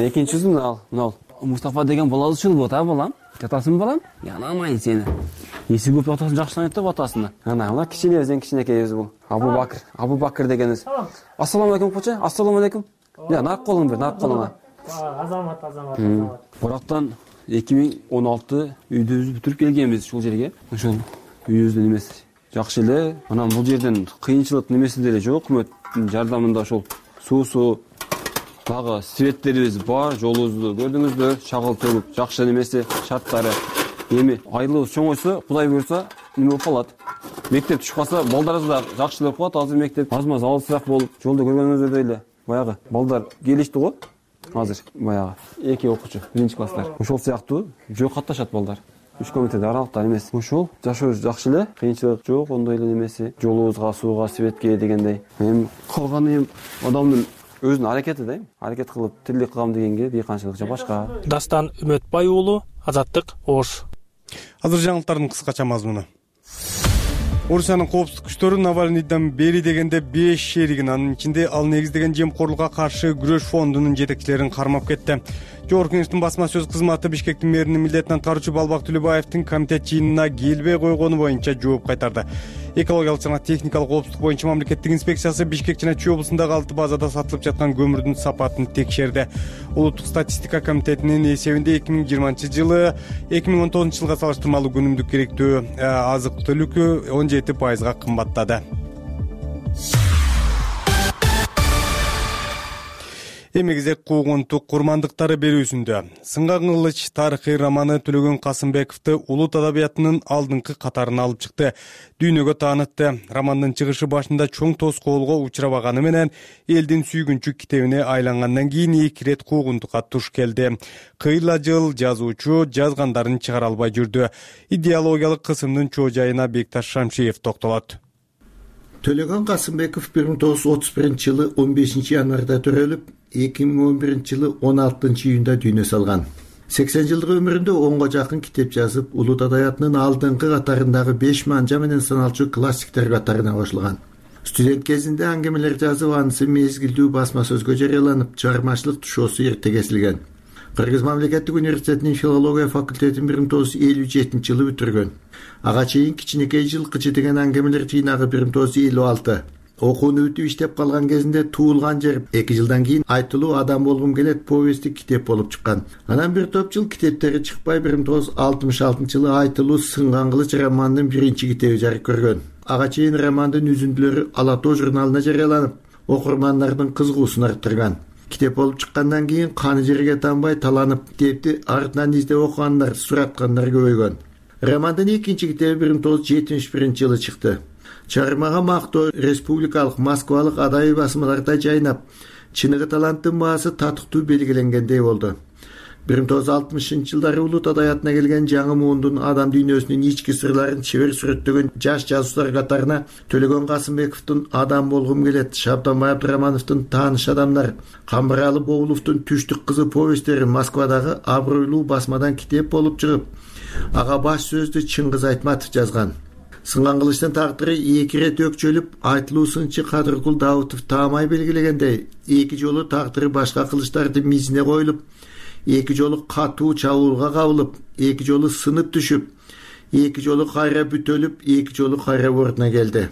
экинчиси мынал. Мынал Мустафа деген балабыз ушул болот, а балам? Жатасың балам? Янамай сени. Эси көп атасын жакшыланат деп атасына. Ана мына кичинебиз, эң кичинекейбиз бул. Абу Бакыр, Абу Бакыр дегенибиз. Ассаламу алейкум кочо, ассаламу алейкум. Я нарк колуң бер, нарк колуңа.
Азамат, азамат, азамат.
Барактан эки миң он алты үйдүбүздү бүтүрүп келгенбиз ушул жерге. Ошол үйүбүздүн эмеси жакшы эле. Анан бул жерден кыйынчылык немеси деле жок, өкмөттүн жардамында ошол суусу дагы светтерибиз бар, жолубузду көрдүңүздөр, чагыл төлүп, жакшы немеси, шарттары. Эми айылыбыз чоңойсо, Кудай буйрса, неме болуп калат. Мектеп түшүп калса, балдарыбыз да жакшы болуп калат. Азыр мектеп аз-маз алысыраак болуп, жолдо көргөнүңүздөй эле баягы балдар келишти го. Азыр баягы эки окуучу, биринчи класстар. Ошол сыяктуу жөө катташат балдар. Үч комитет аралыкта эмес. Ошол жашообуз жакшы эле, кыйынчылык жок, ондой эле немеси. Жолубузга, сууга, светке дегендей. Эми калганы эми адамдын өзүнүн аракети да, аракет кылып тирлик кылам дегенге бейканчылык же башка.
Дастан Үмөтбай уулу, Азаттык, Ош.
Азыр жаңылыктардын кыскача мазмуну. Орусиянын коопсуздук күчтөрү Навальныйдан бери дегенде беш шеригин, анын ичинде ал негиздеген жемкорлукка каршы күрөш фондунун жетекчилерин кармап кетти. Жогорку Кеңештин басма сөз кызматы Бишкектин мэринин милдетин аткаруучу Балбак Түлөбаевдин комитет жыйынына келбей койгону боюнча жооп кайтарды. Экологиялык жана техникалык коопсуздук боюнча мамлекеттик инспекциясы Бишкек жана Чүй облусундагы алты базада сатылып жаткан көмүрдүн сапатын текшерди. Улуттук статистика комитетинин эсебинде эки миң жыйырманчы жылы эки миң он тогузунчу жылга салыштырмалуу күнүмдүк керектүү азык түлүк он жети пайызга кымбаттады. Эми кезек куугунтук курмандыктары берүүсүндө. Сынган кылыч тарыхый романы Төлөгөн Касымбековду улут адабиятынын алдыңкы катарына алып чыкты. Дүйнөгө таанытты. Романдын чыгышы башында чоң тоскоолго учурабаганы менен элдин сүйгүнчү китебине айлангандан кийин эки ирет куугунтукка туш келди. Кыйла жыл жазуучу жазгандарын чыгара албай жүрдү. Идеологиялык кысымдын чоо жайына Бекташ Шамшиев токтолот.
Төлөгөн Касымбеков бир миң тогуз жүз отуз биринчи жылы он бешинчи январда төрөлүп, эки миң он биринчи жылы он алтынчы июнда дүйнө салган. сексен жылдык өмүрүндө онго жакын китеп жазып, улут адабиятынын алдыңкы катарындагы беш манжа менен саналчу классиктер катарына кошулган. Студент кезинде аңгемелер жазып, анысы мезгилдүү басма сөзгө жарыяланып, чыгармачылык тушоосу эрте кесилген. Кыргыз мамлекеттик университетинин филология факультетин бир миң тогуз жүз элүү жетинчи жылы бүтүргөн. Ага чейин кичинекей жылкычы деген аңгемелер жыйнагы бир миң тогуз жүз элүү алты, окууну бүтүп иштеп калган кезинде туулган жер эки жылдан кийин айтылуу адам болгум келет повести китеп болуп чыккан. Анан бир топ жыл китептери чыкпай бир миң тогуз жүз алтымыш алтынчы жылы айтылуу Сынган кылыч романынын биринчи китеби жарык көргөн. Ага чейин романдын үзүндүлөрү Ала тоо журналына жарыяланып, окурмандардын кызыгуусун арттырган. Китеп болуп чыккандан кийин каны жерге танбай таланып, китепти артынан издеп окугандар, сураткандар көбөйгөн. Романдын экинчи китеби бир миң тогуз жүз жетимиш биринчи жылы чыкты. Чыгармага мактоо республикалык, Москвалык адабий басмаларда жайнап, чыныгы таланттын баасы татыктуу белгиленгендей болду. бир миң тогуз жүз алтымышынчы жылдары улут адабиятына келген жаңы муундун адам дүйнөсүнүн ички сырларын чебер сүрөттөгөн жаш жазуучулар катарына Төлөгөн Касымбековдун Адам болгум келет, Шабданбай Абдырамановдун Тааныш адамдар, Камбыралы Боуловдун Түштүк кызы повесттери Москвадагы абройлуу басмадан китеп болуп чыгып, ага баш сөздү Чыңгыз Айтматов жазган. Сынган кылычтын тагдыры эки ирет өкчөлүп, айтылуу сынчы Кадыркул Даутов таамай белгилегендей, эки жолу тагдыры башка кылычтардын мизине коюлуп, эки жолу катуу чабуулга кабылып, эки жолу сынып түшүп, эки жолу кайра бүтөлүп, эки жолу кайра ордуна келди.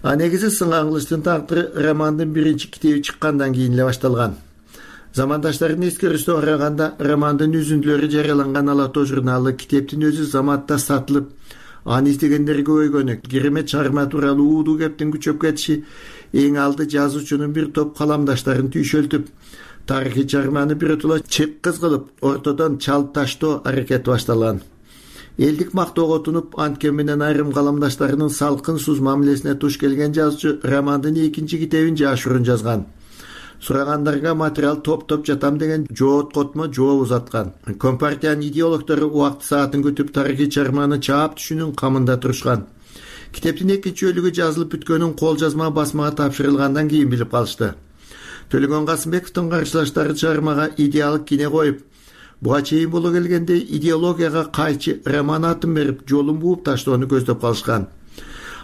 А негизи Сынган кылычтын тагдыры романдын биринчи китеби чыккандан кийин эле башталган. Замандаштардын эскерүүсүнө караганда, романдын үзүндүлөрү жарыяланган Ала тоо журналы китептин өзү заматта сатылып, аны издегендер көбөйгөнү, керемет чыгарма тууралуу уудуу кептин күчөп кетиши, эң алды жазуучунун бир топ каламдаштарын түйшөлтүп, тарыхый чыгарманы биротоло чек кыз кылып, ортодон чалып таштоо аракети башталган. Элдик мактоого тунуп, анткен менен айрым каламдаштарынын салкын суз мамилесине туш келген жазуучу романдын экинчи китебин жашыруун жазган. Сурагандарга материал топтоп жатам деген жооот котмо жооп узаткан. Компартиянын идеологдору убакыт саатын күтүп тарыхый чыгарманы чаап түшүүнүн камында турушкан. Китептин экинчи бөлүгү жазылып бүткөнүн кол жазма басмага тапшырылгандан кийин билип калышты. Төлөгөн Касымбековдун каршылаштары чыгармага идеалдык кине коюп, буга чейин боло келгендей идеологияга кайчы роман атын берип, жолун бууп таштоону көздөп калышкан.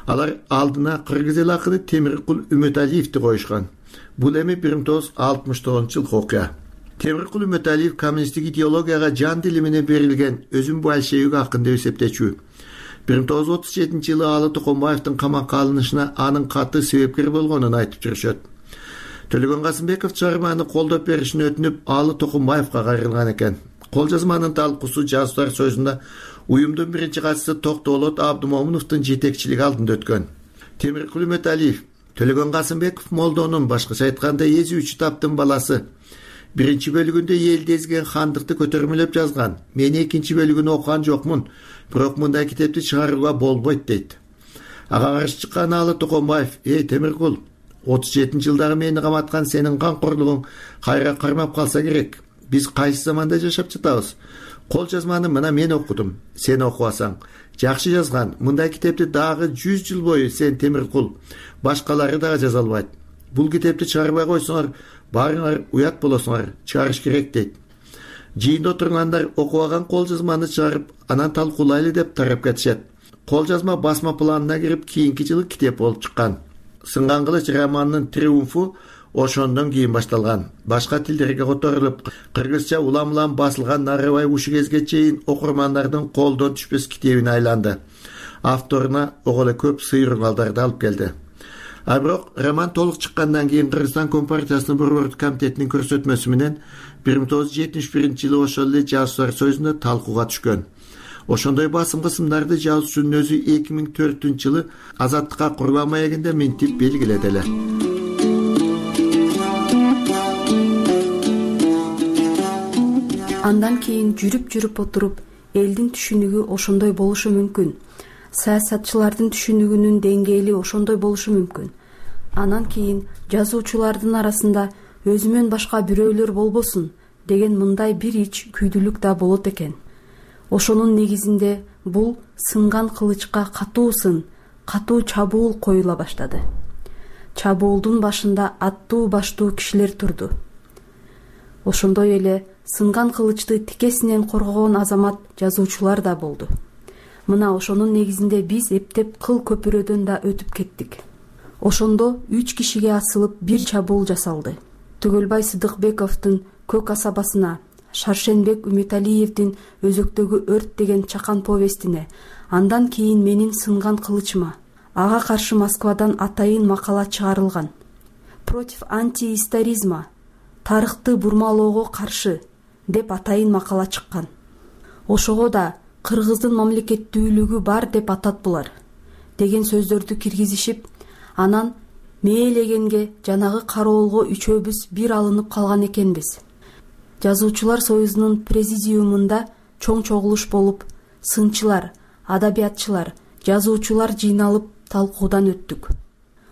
Алар алдына кыргыз эл акыны Темиркул Үмөталиевди коюшкан. Бул эми бир миң тогуз жүз алтымыш тогузунчу жылкы окуя. Темиркул Үмөталиев коммунисттик идеологияга жан дили менен берилген өзүн большевик акын деп эсептечү. бир миң тогуз жүз отуз жетинчи жылы Алы Токонбаевдин камакка алынышына анын катты себепкер болгонун айтып жүрүшөт. Төлөгөн Касымбеков чыгарманы колдоп беришин өтүнүп, Алы Токонбаевга кайрылган экен. Кол жазманын талкуусу жазуучулар союзунда уюмдун биринчи катчысы Токтоолот Абдымомуновдун жетекчилиги алдында өткөн. Темиркул Үмөталиев Төлөгөн Касымбеков молдонун, башкача айтканда эзүүчү таптын баласы. Биринчи бөлүгүндө элди эзген хандыкты көтөрмөлөп жазган. Мен экинчи бөлүгүн окуган жокмун, бирок мындай китепти чыгарууга болбойт дейт. Ага каршы чыккан Алы Токонбаев: "Эй Темиркул, отуз жетинчи жылдагы мени каматкан сенин камкорлугуң кайра кармап калса керек. Биз кайсы заманда жашап жатабыз? Кол жазманы мына мен окудум, сен окубасаң. Жакшы жазган. Мындай китепти дагы жүз жыл бою сен Темиркул, башкалары дагы жаза албайт. Бул китепти чыгарбай койсоңор, баарыңар уят болосуңар, чыгарыш керек" дейт. Жыйында отургандар окубаган кол жазманы чыгарып, анан талкуулайлы деп тарап кетишет. Кол жазма басма планына кирип, кийинки жылы китеп болуп чыккан. Сынган кылыч романынын триумфу ошондон кийин башталган. Башка тилдерге которулуп, кыргызча улам-улам басылган Нарыбай Ушигезге чейин окурмандардын колдон түшпөс китебине айланды. Авторуна ого эле көп сыйырмалдарды алып келди. А бирок роман толук чыккандан кийин Кыргызстан Компартиясынын борбордук комитетинин көрсөтмөсү менен бир миң тогуз жүз жетимиш биринчи жылы ошол эле жазуучулар союзунда талкууга түшкөн. Ошондой басым кысымдарды жазуучунун өзү эки миң төртүнчү жылы азаттыкка Курбан маегинде минтип белгиледи эле.
Андан кийин жүрүп-жүрүп отуруп, элдин түшүнүгү ошондой болушу мүмкүн. Саясатчылардын түшүнүгүнүн деңгээли ошондой болушу мүмкүн. Анан кийин жазуучулардын арасында өзүмөн башка бирөөлөр болбосун деген мындай бир ич күйдүлүк да болот экен. Ошонун негизинде бул сынган кылычка катуу сын, катуу чабуул коюла баштады. Чабуулдун башында аттуу баштуу кишилер турду. Ошондой эле сынган кылычты тикесинен коргогон азамат жазуучулар да болду. Мына ошонун негизинде биз эптеп кыл көпүрөдөн да өтүп кеттик. Ошондо үч кишиге асылып бир чабуул жасалды. Түгөлбай Сыдыкбековдун Көк касабасына, Шаршенбек Үмөталиевдин Өзөктөгү өрт деген чакан повестине, андан кийин менин сынган кылычыма, ага каршы Москвадан атайын макала чыгарылган. Против антиисторизма, тарыхты бурмалоого каршы деп атайын макала чыккан. Ошого да кыргыздын мамлекеттүүлүгү бар деп атат булар деген сөздөрдү киргизишип, анан мээлегенге жанагы кароолго үчөөбүз бир алынып калган экенбиз. Жазуучулар союзунун президиумунда чоң чогулуш болуп, сынчылар, адабиятчылар, жазуучулар жыйналып талкуудан өттүк.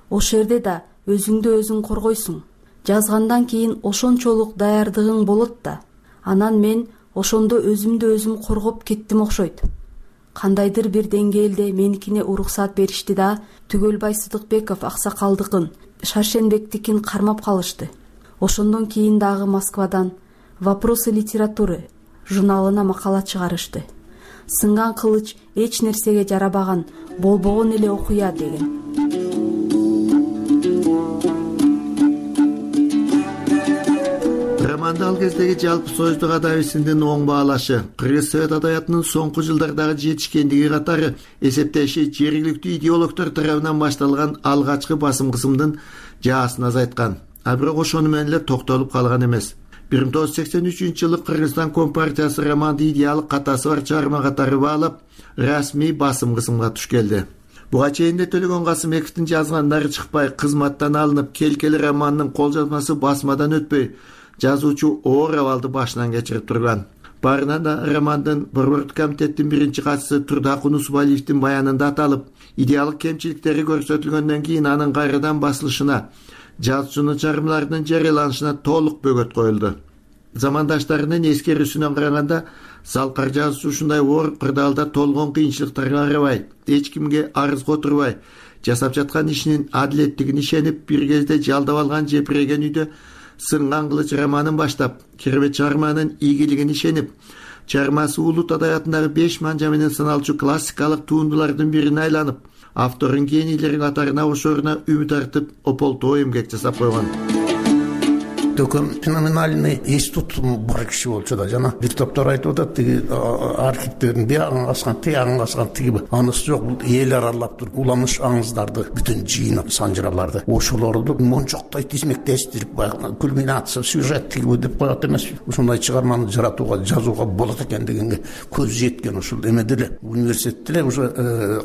Ошол жерде да өзүңдү өзүң коргойсуң. Жазгандан кийин ошончолук даярдыгың болот да, анан мен ошондо өзүмдү өзүм коргоп кеттим окшойт. Кандайдыр бир деңгээлде меникине уруксат беришти да, Түгөлбай Сыдыкбеков аксакалдыкын, Шаршенбектикин кармап калышты. Ошондон кийин дагы Москвадан «Вопросы литературы» журналына макала чыгарышты. Сынган кылыч эч нерсеге жарабаган, болбогон эле окуя деген.
Романды ал кездеги жалпы союздук адабисиндин оң баалашы, Кыргыз Совет адабиятынын соңку жылдардагы жетишкендиги катары эсептеши жергиликтүү идеологдор тарабынан башталган алгачкы басым кысымдын жаасын азайткан. А бирок ошону менен эле токтолуп калган эмес. бир миң тогуз жүз сексен үчүнчү жылы Кыргызстан Компартиясы романды идеалык катасы бар чыгарма катары баалап, расмий басым кысымга туш келди. Буга чейин да Төлөгөн Касымбековдун жазгандары чыкпай, кызматтан алынып, Келкели романынын кол жазмасы басмадан өтпөй, жазуучу оор абалды башынан кечирип турган. Барынан да романдын Борбордук комитеттин биринчи катчысы Турдак Унусубалиевдин баянында аталып, идеалык кемчиликтери көрсөтүлгөндөн кийин анын кайрадан басылышына, жазуучунун чыгармаларынын жарыяланышына толук бөгөт коюлду. Замандаштарынын эскерүүсүнөн караганда, Салкар жазуучу ушундай оор кырдаалда толгон кыйынчылыктарга карабай, эч кимге арыз которбай, жасап жаткан ишинин адилеттигине ишенип, бир кезде жалдап алган жепиреген үйдө Сынган кылыч романын баштап, керемет чыгарманын ийгилигине ишенип, чыгармасы улут адабиятындагы беш манжа менен саналчу классикалык туындулардын бирине айланып, автордун генийлери катарына кошоруна үмүт артып, ополтоо эмгек жасап койгон.
Төкөн феноменальный институт бар киши болчу да, жана бир топтор айтып атат, тиги архивтердин биягын аскан, тиягын аскан, тиги анысы жок, бул эл аралап туруп, уламыш аңыздарды бүтүн жыйнап, санжыраларды, ошолорду мончоктой тизмектештирип, кульминация, сюжет тиги деп коет эмес. Ушундай чыгарманы жаратууга, жазууга болот экен дегенге көз жеткен ушул эмеде эле, университетте эле уже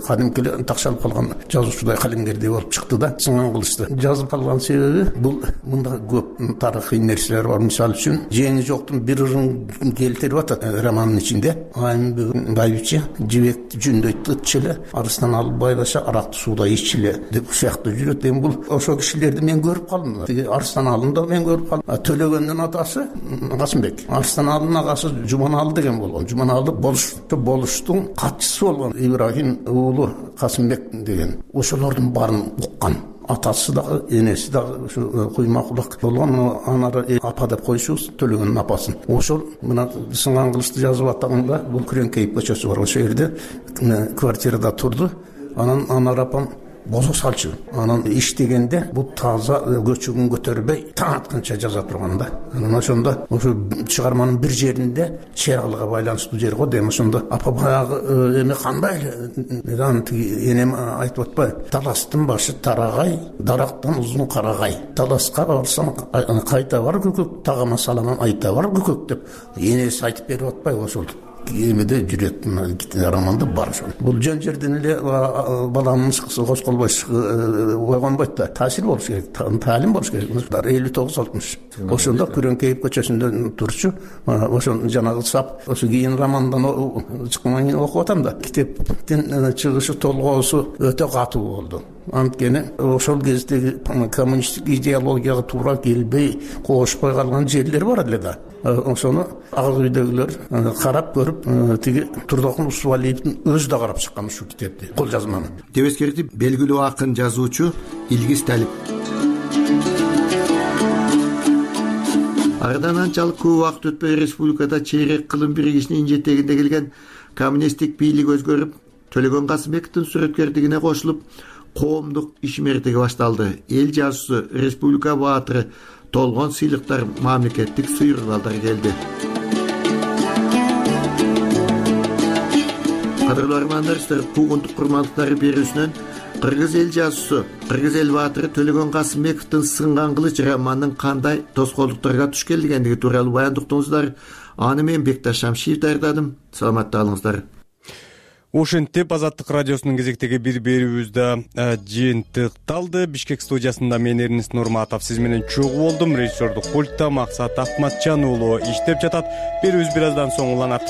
кадимки эле такшалып калган жазуучудай калемгердей болуп чыкты да, Сынган кылычты. Жазып калган себеби бул мында көп тарыхый нерселер бар. Мисалы үчүн, жеңи жоктун бир ырын келтирип атат романдын ичинде. Айым байбиче жибекти жүндөйт ытчылы, арыстан алып байлаша, аракты сууда иччиле деп сыяктуу жүрөт. Эми бул ошол кишилерди мен көрүп калдым. Тиги Арыстан алын да мен көрүп калдым. Төлөгөндүн атасы Касымбек, Арыстан алынын агасы Жуманалы деген болгон. Жуманалы болуш болуштун катчысы болгон Ибрахим уулу Касымбек деген. Ошолордун баарын уккан. Атасы дагы, энеси дагы ушу куймакулак болгон, анары апа деп коюшубуз, Төлөгөндүн апасын. Ошол мына Сынган кылычты жазып атканда бул Күрөңкейип көчөсү бар, ошол жерде квартирада турду. Анан анар апам бозо салчу. Анан иштегенде бул таза көчөгүн көтөрбөй, таң атканча жаза турган да. Анан ошондо ошо чыгарманын бир жеринде чыягылга байланыштуу жер го дейм. Ошондо апа баягы эме кандай эле, анан тиги энем айтып атпайбы? Таластын башы тарагай, дарактан узун карагай. Таласка барсаң кайта бар көкөк, тагама саламан айта бар көкөк деп энеси айтып берип атпайбы ошол? Эмеде жүрөт романда бар ошол. Бул жөн жерден эле баланын ышкысы косколбой ойгонбойт да. Таасир болуш керек, таалим болуш керек. элүү тогуз алтымыш. Ошондо Күрөңкейип көчөсүндө турчу. Ошол жанагы сап, ошо кийин романдан чыккандан кийин окуп атам да. Китептин чыгышы толгоосу өтө катуу болду. Анткени ошол кездеги коммунисттик идеологияга туура келбей, кошпой калган жерлер бар эле да. Ошону ак үйдөгүлөр карап көрүп, тиги Турдак Унусубалиевдин өзү да карап чыккан ушул китепти, кол жазманы.
Деп эскертип, белгилүү акын жазуучу Илгиз Талип. Арадан анчалык көп убакыт өтпөй республикада чейрек кылым биригишинин жетегинде келген коммунисттик бийлик өзгөрүп, Төлөгөн Касымбековдун сүрөткерлигине кошулуп, коомдук ишмердиги башталды. Эл жазуусу, республика баатыры, толгон сыйлыктар, мамлекеттик сыйыргалдар келди. Кадырлуу армандаштар, куугунтук курмандыктары берүүсүнөн Кыргыз эл жазуусу Кыргыз эл баатыры Төлөгөн Касымбековдун Сынган кылыч романынын кандай тоскоолдуктарга туш келгендиги тууралуу баяндуктуңуздар. Аны мен Бекташ Шамшиев даярдадым. Саламатта калыңыздар.
Ошентип Азаттык радиосунун кезектеги бир берүүбүздө жыйынтыкталды. Бишкек студиясында мен Эрнест Нурматов сиз менен чогуу болдум. Режиссердук пультта Максат Акматжан уулу иштеп жатат. Берүүбүз бир аздан соң уланат.